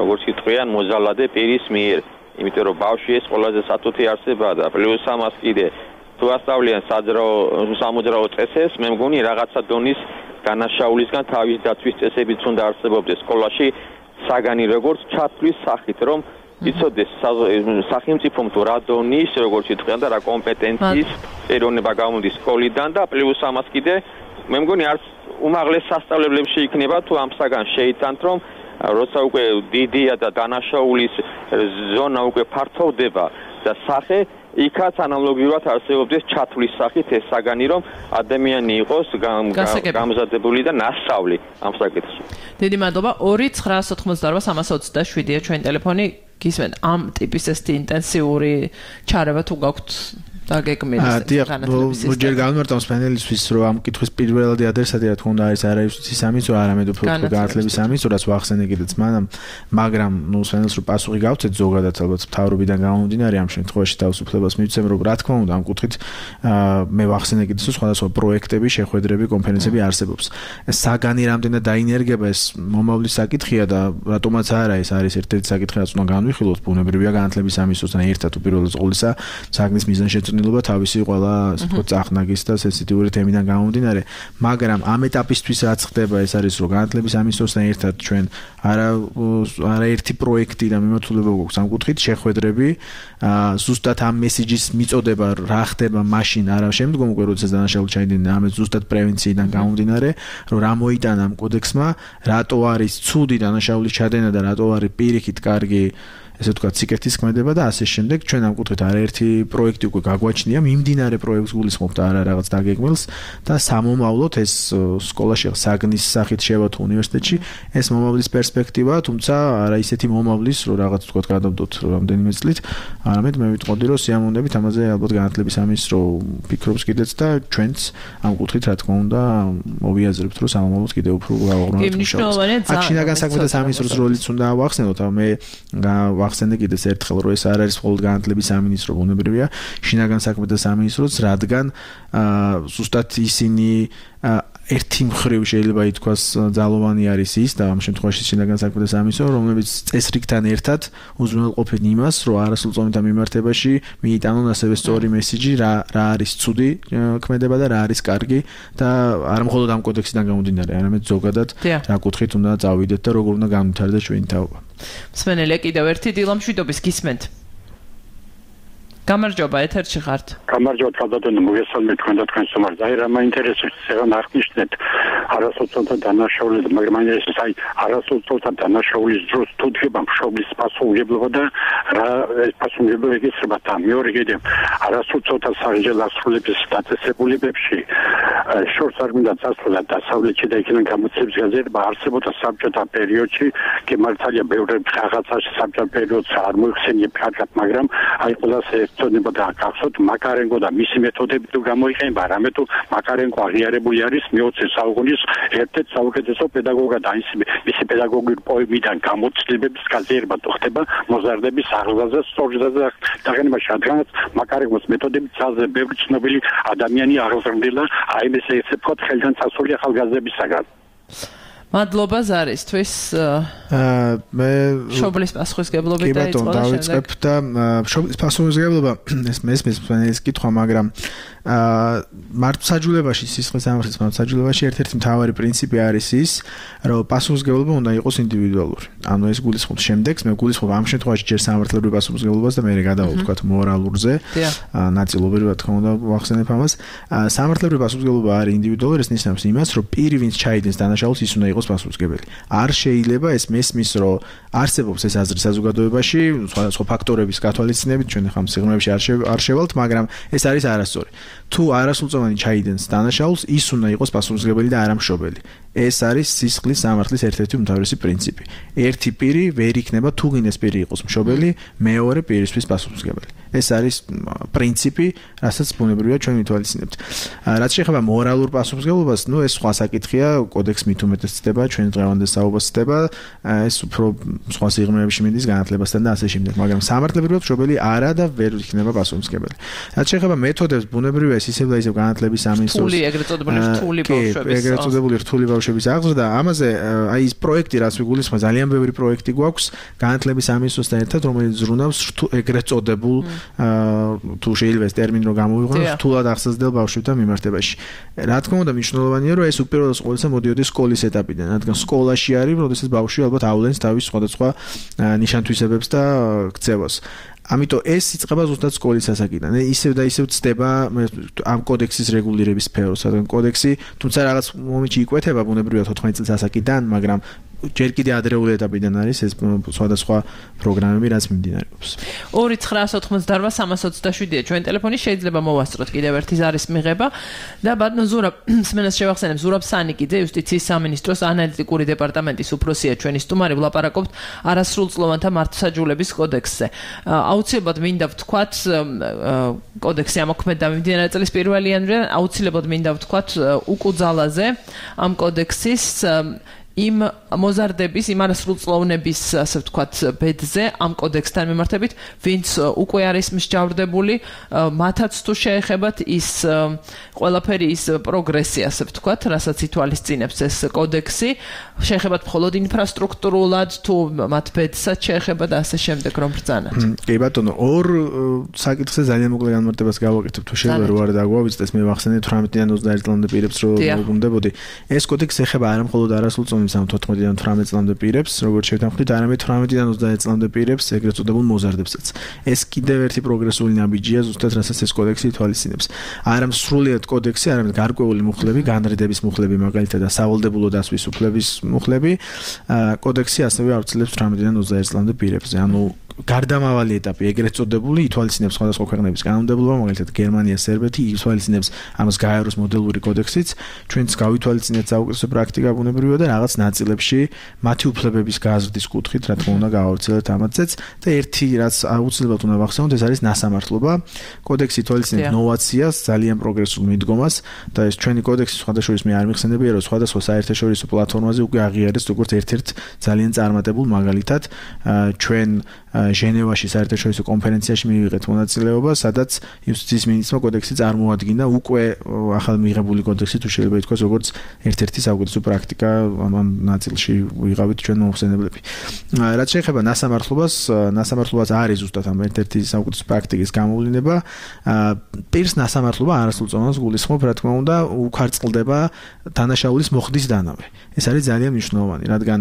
როგორც იტყვიან მოზალადე პირის მიერ. იმიტომ რომ ბავშვი ეს ყველაზე სათუთი არსებაა და პლუს ამას კიდე თუ ასწავლიან საძრაო სამოძრაო წესებს, მე მგონი რაღაცა დონის განაშაულისგან თავის დაცვის წესებიც უნდა არსებობდეს სკოლაში საგანი როგორც ჩათვლის სახით, რომ იცოდეს სახელმწიფომ თუ რა დონის როგორც იტყვიან და რა კომპეტენციის ეროვნება გამოდის სკოლიდან და პლუს ამას კიდე მე მგონი არც უმაღლეს სასწავლებლებში იქნება თუ ამ საგანს შეიტანთ, რომ როცა უკვე დიდია და დანაშაულის ზონა უკვე ფართოვდება და სახე იქაც ანალოგიურად არსებობდეს ჩათვლის სახით ეს საგანი, რომ ადამიანი იყოს გამზადებული და ნასწავლი ამ საკითხში. დიდი მადლობა. ორი ცხრაას ოთხმოცდაარბა სამას ოცდაშვიდია ჩვენ ტელეფონი. გისმენთ ამ ტიპის ეს ინტენსიური ჩარევა თუ გაქვთ დაგეგმილი განათლების სისტემა. ჯერ განმარტავს პანელისთვის, რომ ამ კითხვის პირველადი ადრესატი რა თქმა უნდა არის არაერთი სამინისტრო, არამედ უფრო განათლების სამინისტროც ვახსენე კიდეც მანამ, მაგრამ ნუ პანელს რო პასუხი გავცეთ ზოგადად ალბათ მთავრობიდან გამომდინარე ამ შემთხვევაში თავისუფლებას მივცემ, რომ რა თქმა უნდა ამ კუთხით მე ვახსენე კიდეც სხვადასხვა პროექტები, შეხვედრები, კონფერენციები არსებობს. საგანი რამდენად დაინერგება ეს მომავლის საკითხია და რატომაც არა ეს არის ერთ-ერთი საკითხი, რაც უნდა განვიხილოთ, ბუნებრივია განათლების სამინისტროსთან ერთად უპირველეს ყოვლისა საგნის მიზანშეწონილობა თავისი ყველა ასე ვთქვათ წახნაგის და სენსიტიური თემიდან გამომდინარე, მაგრამ ამ ეტაპისთვის რაც ხდება ეს არის რომ განათლების სამინისტროსთან ერთად ჩვენ არა არაერთი პროექტი და მიმართულება გვაქვს ამ კუთხით შეხვედრები, ზუსტად ამ მესიჯის მიწოდება რა ხდება მაშინ არა შემდგომ უკვე როდესაც დანაშაული ჩაიდინა, ამეთ ზუსტად პრევენციიდან გამომდინარე, რომ რა მოიტანა ამ კოდექსმა, რატო არის ცუდი დანაშაულის ჩადენა და რატო არის პირიქით კარგი ესე ვთქვათ, სიკეთის ქმედება და ასე შემდეგ. ჩვენ ამ კუთხით არაერთი პროექტი უკვე გაგვაჩნია, მიმდინარე პროექტს გულისხმობთ არა რაღაც დაგეგმილს და სამომავლოდ ეს სკოლაში საგნის სახით შევათ უნივერსიტეტში, ეს მომავლის პერსპექტივა, თუმცა არა ისეთი მომავლის, რომ რაღაც ვთქვათ, გადავდოთ რამდენიმე წლით, არამედ მე ვიტყოდი, რომ სიამოვნებით ამაზე ალბათ განათლების სამინისტრო ფიქრობს კიდეც და ჩვენც ამ კუთხით რა თქმა უნდა მოვიაზრებთ, რომ სამომავლოდ კიდევ უფრო გავაღრმავებთ მუშაობას. აქ შინაგან საქმეთა სამინისტროს როლიც უნდა ავახსენოთ, მე ახსენე კიდეც ერთხელ, რომ ეს არ არის მხოლოდ განათლების სამინისტრო, ბუნებრივია, შინაგან საქმეთა სამინისტროც, რადგან ზუსტად ისინი ერთი მხრივ შეიძლება ითქვას ძალოვანი არის ის და ამ შემთხვევაში შინაგან საქმეთა სამინისტრო, რომელიც წესრიგთან ერთად უზრუნველყოფენ იმას, რომ არასრულწლოვანთა მიმართებაში მიიტანონ ასევე სწორი მესიჯი, რა რა არის ცუდი ქმედება და რა არის კარგი და არა მხოლოდ ამ კოდექსიდან გამომდინარე, არამედ ზოგადად რა კუთხით უნდა წავიდეთ და როგორ უნდა განვითარდეს ჩვენი თაობა. მსმენელია კიდევ ერთი დილამშვიდობის გისმენთ. გამარჯობა, ეთერში ხართ. გამარჯობა, თავდადო მოგესალმებით თქვენ და თქვენ სტუმარს. აი რა მაინტერესებს ახლა აღნიშნეთ არასოციალთა დანაშაულები, მაგრამ მაინტერესებს აი არასოციალთა დანაშაულის დროს თუ დგება მშობლის პასუხისმგებლობა და რა ეს პასუხისმგებლობა ეკისრება და მეორე კიდე არასოციალთა სასჯელახსრულების დაწესებულებებში შორს არ მინდა წასვლა დასავლეთში და იქიდან გამოცემის გაზრება არსებობდა საბჭოთა პერიოდში, კი მართალია ბევრი რაღაცაში საბჭოთა პერიოდს არ მოიხსენიებ კარგად, მაგრამ აი ყველას ცოდნება და გახსოვთ მაკარენკო და მისი მეთოდები თუ გამოიყენება, რამე თუ მაკარენკო აღიარებული არის მეოცე საუკუნის ერთ-ერთ საუკეთესო პედაგოგად, აი მისი პედაგოგიური პოემიდან გამოცდილების გაზრება თუ ხდება მოზარდების აღზრდაზე, სწორზრდაზე დაღენება შადგანაც მაკარენკოს მეთოდები ძალზე ბევრი ცნობილი ადამიანი აღზრდილა, აი ესე ესე ვთქვათ ხელიდან წასული ახალგაზრდებისაგან. მადლობა ზარისთვის. მე მშობლის პასუხისმგებლობით დაიწყო და დავიწყებ და მშობლის პასუხისმგებლობა ეს მესმის ეს კითხვა, მაგრამ მართლმსაჯულებაში, სისხლის სამართლის მართლმსაჯულებაში ერთ-ერთი მთავარი პრინციპი არის ის, რომ პასუხისმგებლობა უნდა იყოს ინდივიდუალური. ანუ ეს გულისხმობს შემდეგს, მე გულისხმობ ამ შემთხვევაში ჯერ სამართლებრივ პასუხისმგებლობას და მე გადავალ ვთქვათ მორალურზე, ნაწილობრივ რა თქმა უნდა ვახსენებ ამას. სამართლებრივ პასუხისმგებლობა არის ინდივიდუალური, ეს ნიშნავს იმას, რომ პირი ვინც ჩაიდენს დანაშაულს, ის უნდა იყოს პასუხისმგებელი. არ შეიძლება ეს მესმის, რომ არსებობს ეს აზრი საზოგადოებაში, სხვადასხვა ფაქტორების გათვალისწინებით, ჩვენ ახლა სიღრმეებში არ შევალთ, მაგრამ ეს არის არასწორი. თუ არასრულწლოვანი ჩაიდენს დანაშაულს, ის უნდა იყოს პასუხისმგებელი და არა მშობელი. ეს არის სისხლის სამართლის ერთ-ერთი უმთავრესი პრინციპი. ერთი პირი ვერ იქნება თუ გინდეს პირი იყოს მშობელი, მეორე პირისთვის პასუხისმგებელი. ეს არის პრინციპი, რასაც ბუნებრივია ჩვენ ვითვალისწინებთ. რაც შეეხება მორალურ პასუხისმგებლობას, ნუ ეს სხვა საკითხია, კოდექსს მით უმეტეს ხდება, ჩვენი დღევანდელ საუბარს ხდება, ეს უფრო სხვა სიღრმეებში მიდის განათლებასთან და ასე შემდეგ, მაგრამ სამართლებრივად მშობელი არა და ვერ იქნება პასუხისმგებელი. რაც შეეხება მეთოდებს, ბუნებრივია ეს ისევ და ისევ განათლების სამინისტროს რთული, ეგრეთ წოდებული რთული ბავშვების. ეგრეთ წოდებული რთული ბავშვების აღზრდა, ამაზე აი ის პროექტი, რაც ვიგულისხმე, ძალიან ბევრი პროექტი გვაქვს განათლების სამინისტროსთან ერთად, რომელიც ზრუნავს ეგრეთ წოდებულ თუ შეიძლება ეს ტერმინი რო გამოვიყენო, რთულად აღზრდელ ბავშვებთან მიმართებაში. რა თქმა უნდა, მნიშვნელოვანია, რომ ეს უპირველეს ყოვლისა მოდიოდეს სკოლის ეტაპიდან, რადგან სკოლაში არის, როდესაც ბავშვი ალბათ ავლენს თავის სხვადასხვა ნიშან-თვისებებს და ქცევას. ამიტომ ეს იწყება ზუსტად სკოლის ასაკიდან. ისევ და ისევ ცდება ამ კოდექსის რეგულირების სფეროს, რადგან კოდექსი თუმცა რაღაც მომენტში იკვეთება ბუნებრივად ოთხმოცდაათი წლის ასაკიდან, მაგრამ ჯერ კიდე ადრეული ეტაპიდან არის ეს სხვადასხვა პროგრამები, რაც მიმდინარეობს. ორი ცხრაას ოთხმოცდაარბა სამას ოცდაშვიდია ჩვენ ტელეფონი, შეიძლება მოვასწროთ კიდევ ერთი ზარის მიღება და ბატონო ზურაბ სმენას შევახსენებ, ზურაბ სანიკიძე, იუსტიციის სამინისტროს ანალიტიკური დეპარტამენტის უფროსია ჩვენი სტუმარი, ვლაპარაკობთ არასრულწლოვანთა მართლმსაჯულების კოდექსზე. აუცილებლად მინდა ვთქვათ, კოდექსი ამოქმედა მიმდინარე წლის პირველ იანვრიდან, აუცილებლად მინდა ვთქვათ უკუძალაზე ამ კოდექსის იმ მოზარდების, იმ არასრულწლოვნების, ასე ვთქვათ, ბედზე ამ კოდექსთან მიმართებით, ვინც უკვე არის მსჯავრდებული, მათაც თუ შეეხებათ ის ყველაფერი ის პროგრესი, ასე ვთქვათ, რასაც ითვალისწინებს ეს კოდექსი, შეეხებათ მხოლოდ ინფრასტრუქტურულად, თუ მათ ბედსაც შეეხება და ასე შემდეგ, რომ ბრძანათ. კი ბატონო, ორ საკითხზე ძალიან მოკლე განმარტებას გავაკეთებ, თუ შეიძლება რო არ დაგვავიწყდეს, მე ვახსენე თვრამეტიდან ოცდაერთი წლამდე პირებს რო მოგუნდებოდი. ეს კოდექსი ეხება არა მხოლოდ არასრულწლოვან თოთხმეტიდან თვრამეტ წლამდე პირებს, როგორც შევთანხმდით, არამედ თვრამეტიდან ოცდაერთი წლამდე პირებს, ეგრეთ წოდებულ მოზარდებსაც. ეს კიდევ ერთი პროგრესული ნაბიჯია, ზუსტად რასაც ეს კოდექსი ითვალისწინებს. არა სრულიად კოდექსი, არამედ გარკვეული მუხლები, განრიდების მუხლები, მაგალითად, სავალდებულო დასვის უფლების მუხლები, კოდექსი ასევე ავრცელებს თვრამეტიდან ოცდაერთი წლამდე პირებზე. ანუ გარდამავალი ეტაპი ეგრეთ წოდებული ითვალისწინებს სხვადასხვა ქვეყნების კანონმდებლობა, მაგალითად გერმანია, სერბეთი, ითვალისწინებს ამას გაეროს მოდელური კოდექსიც, ჩვენც გავითვალისწინეთ საუკეთესო პრაქტიკა ბუნებრივია და რაღაც ნაწილებში მათი უფლებების გაზრდის კუთხით, რა თქმა უნდა, გავავრცელეთ ამათზეც და ერთი რაც აუცილებლად უნდა ვახსენოთ, ეს არის ნასამართლობა. კოდექსი ითვალისწინებს ნოვაციას, ძალიან პროგრესულ მიდგომას და ეს ჩვენი კოდექსი სხვადასხვა მე არ მიხსენებია, რომ სხვადასხვა საერთაშორისო პლატფორმაზე უკვე აღიარეს როგორც ერთ-ერთ ძალიან წარმატებულ მაგალითად ჩვენ ჟენევაში საერთაშორისო კონფერენციაში მივიღეთ მონაწილეობა, სადაც იუსტიციის მინისტრმა კოდექსი წარმოადგინა უკვე ახალ მიღებული კოდექსი, თუ შეიძლება ითქვას, როგორც ერთ-ერთი საუკეთესო პრაქტიკა ამ ნაწილში ვიღავით ჩვენ მომხსენებლები. რაც შეეხება ნასამართლობას, ნასამართლობას არის ზუსტად ამ ერთ-ერთი საუკეთესო პრაქტიკის გამოვლინება. პირს ნასამართლობა არასრულწლოვანს გულისხმობ, რა თქმა უნდა, უკარწყლდება დანაშაულის მოხდის დანავე. ეს არის ძალიან მნიშვნელოვანი, რადგან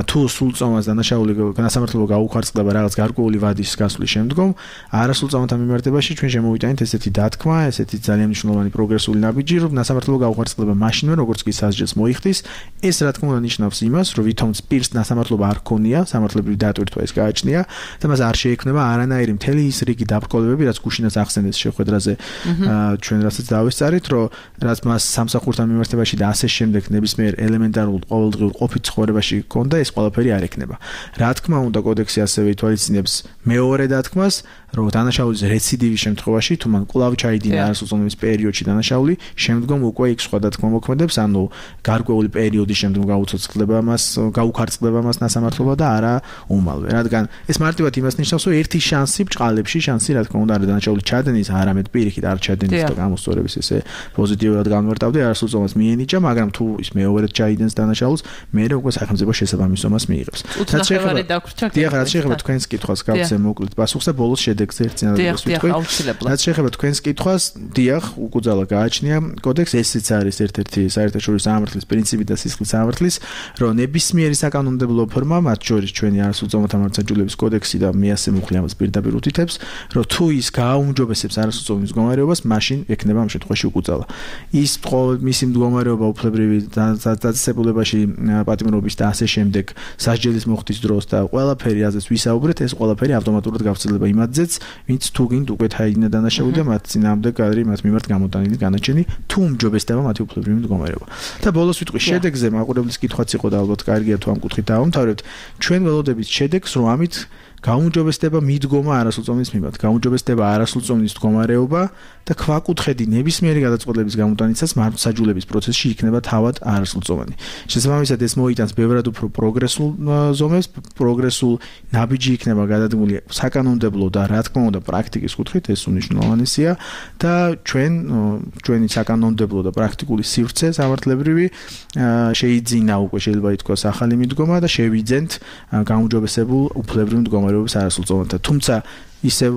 თუ სრულწლოვანს დანაშაული ნასამართლობა გაუკარწყლდება რაღაც გარკვეული ვადის გასვლის შემდგომ, არასრულწლოვანთა მიმართებაში ჩვენ შემოვიტანით ესეთი დათქმა, ესეთი ძალიან მნიშვნელოვანი პროგრესული ნაბიჯი, რომ ნასამართლობა გაუკარწყლდება მაშინვე, როგორც კი სასჯელს მოიხდის. ეს რა თქმა უნდა ნიშნავს იმას, რომ ვითომც პირს ნასამართლობა არ ქონია, სამართლებრივი დატვირთვა ის გააჩნია და მას არ შეექმნება არანაირი მთელი ის რიგი დაბრკოლებები, რაც გუშინაც ახსენეს შეხვედრაზე ჩვენ რასაც დავესწარით, რომ რაც მას სამსახურთან მიმართებაში და ასე შემდეგ ნებისმიერ ელემენტარულ ყოველდღიურ ყოფით ცხოვრებაში ქონდა, ეს ყველაფერი არ ექნება. რა თქმა უნდა, კოდექსი ასევე ითვალისწინებს მეორე დათქმას, რომ დანაშაულის რეციდივის შემთხვევაში, თუ მან კვლავ ჩაიდინა არასრულწლოვანების პერიოდში დანაშაული, შემდგომ უკვე იქ სხვა დათქმა მოქმედებს, ანუ გარკვეული პერიოდის შემდგომ გაუცოცხლდება მას, გაუკარწყლდება მას ნასამართლობა და არა უმალვე. რადგან ეს მარტივად იმას ნიშნავს, რომ ერთი შანსი ბჭყალებში, შანსი რა თქმა უნდა არა დანაშაულის ჩადენის, არამედ პირიქით არ ჩადენის და გამოსწორების ესე პოზიტიურად განმარტავდი, არასრულწლოვანს მიენიჭა, მაგრამ თუ ის მეორედ ჩაიდენს დანაშაულს, მერე უკვე სახელმწიფო შესაბამის ომას მიიღებს. რაც შეეხება დიახ, რაც შეეხება თქვენს კითხვას, გავცე მოკლედ პასუხს და ბოლოს შედეგზე ერთ წინადადებას ვიტყვი. რაც შეეხება თქვენს კითხვას, დიახ, უკუძალა გააჩნია კოდექს, ესეც არის ერთ-ერთი საერთაშორისო სამართლის პრინციპი და სისხლის სამართლის, რომ ნებისმიერი საკანონმდებლო ფორმა, მათ შორის ჩვენი არასრულწლოვანთა მართლმსაჯულების კოდექსი და მე ასე მუხლი ამას პირდაპირ უთითებს, რომ თუ ის გააუმჯობესებს არასრულწლოვანის მდგომარეობას, მაშინ ექნება ამ შემთხვევაში უკუძალა. ის მისი მდგომარეობა უფლებრივი დაწესებულებაში პატიმრობის და ასე შემდეგ სასჯელის მოხდის დროს და ყველაფერი აზრს ვისაუბრეთ, ეს ყველაფერი ავტომატურად გავცილდება იმათზეც, ვინც თუ გინდ უკვე თაიდინა დანაშაული და მათ წინააღმდეგ არის მათ მიმართ გამოტანილი განაჩენი, თუ უმჯობესდება მათი უფლებრივი მდგომარეობა. და ბოლოს ვიტყვი, შედეგზე მაყურებლის კითხვაც იყო და ალბათ კარგია თუ ამ კუთხით დავამთავრებთ. ჩვენ ველოდებით შედეგს, რომ ამით გაუმჯობესდება მიდგომა არასრულწლოვნის მიმართ, გაუმჯობესდება არასრულწლოვნის მდგომარეობა და ქვაკუთხედი ნებისმიერი გადაწყვეტილების გამოტანისას მართლმსაჯულების პროცესში იქნება თავად არასრულწლოვანი. შესაბამისად ეს მოიტანს ბევრად უფრო პროგრესულ ზომებს, პროგრესულ ნაბიჯი იქნება გადადგმული საკანონმდებლო და რა თქმა უნდა პრაქტიკის კუთხით ეს უნიშნულოვანესია და ჩვენ ჩვენი საკანონმდებლო და პრაქტიკული სივრცე სამართლებრივი შეიძინა უკვე შეიძლება ითქვას ახალი მიდგომა და შევიძენთ გაუმჯობესებულ უფლებრივ მდგომარეობის არასრულწლოვანთა. თუმცა ისევ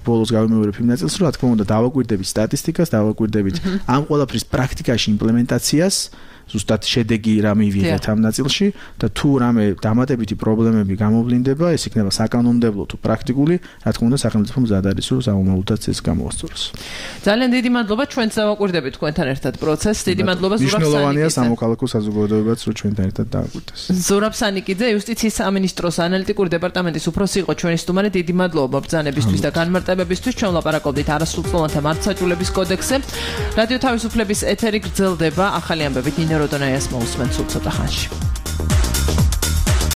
ბოლოს გავიმეორებ იმ ნაწილს, რომ რა თქმა უნდა დავაკვირდებით სტატისტიკას, დავაკვირდებით ამ ყველაფრის პრაქტიკაში იმპლემენტაციას, ზუსტად შედეგი რა მივიღეთ ამ ნაწილში და თუ რამე დამატებითი პრობლემები გამოვლინდება, ეს იქნება საკანონმდებლო თუ პრაქტიკული, რა თქმა უნდა სახელმწიფო მზად არის, რომ სამომავლოდაც ეს გამოასწოროს. ძალიან დიდი მადლობა ჩვენც დავაკვირდებით თქვენთან ერთად პროცესს. დიდი მადლობა ზურაბ სანიკიძე. მნიშვნელოვანია სამოქალაქო საზოგადოებაც, რომ ჩვენთან ერთად დააკვირდეს. ზურაბ სანიკიძე, იუსტიციის სამინისტროს ანალიტიკური დეპარტამენტის უფროსი იყო ჩვენი სტუმარი. დიდი მადლობა ბრძანებისთვის და განმარტებებისთვის. ჩვენ ვლაპარაკობდით არასრულწლოვანთა მართლმსაჯულების კოდექსზე. რადიო თავისუფლების ეთერი გრძელდება ახალი ამბებით. როდონაიას მოусმენთ სულ ცოტა ხანში.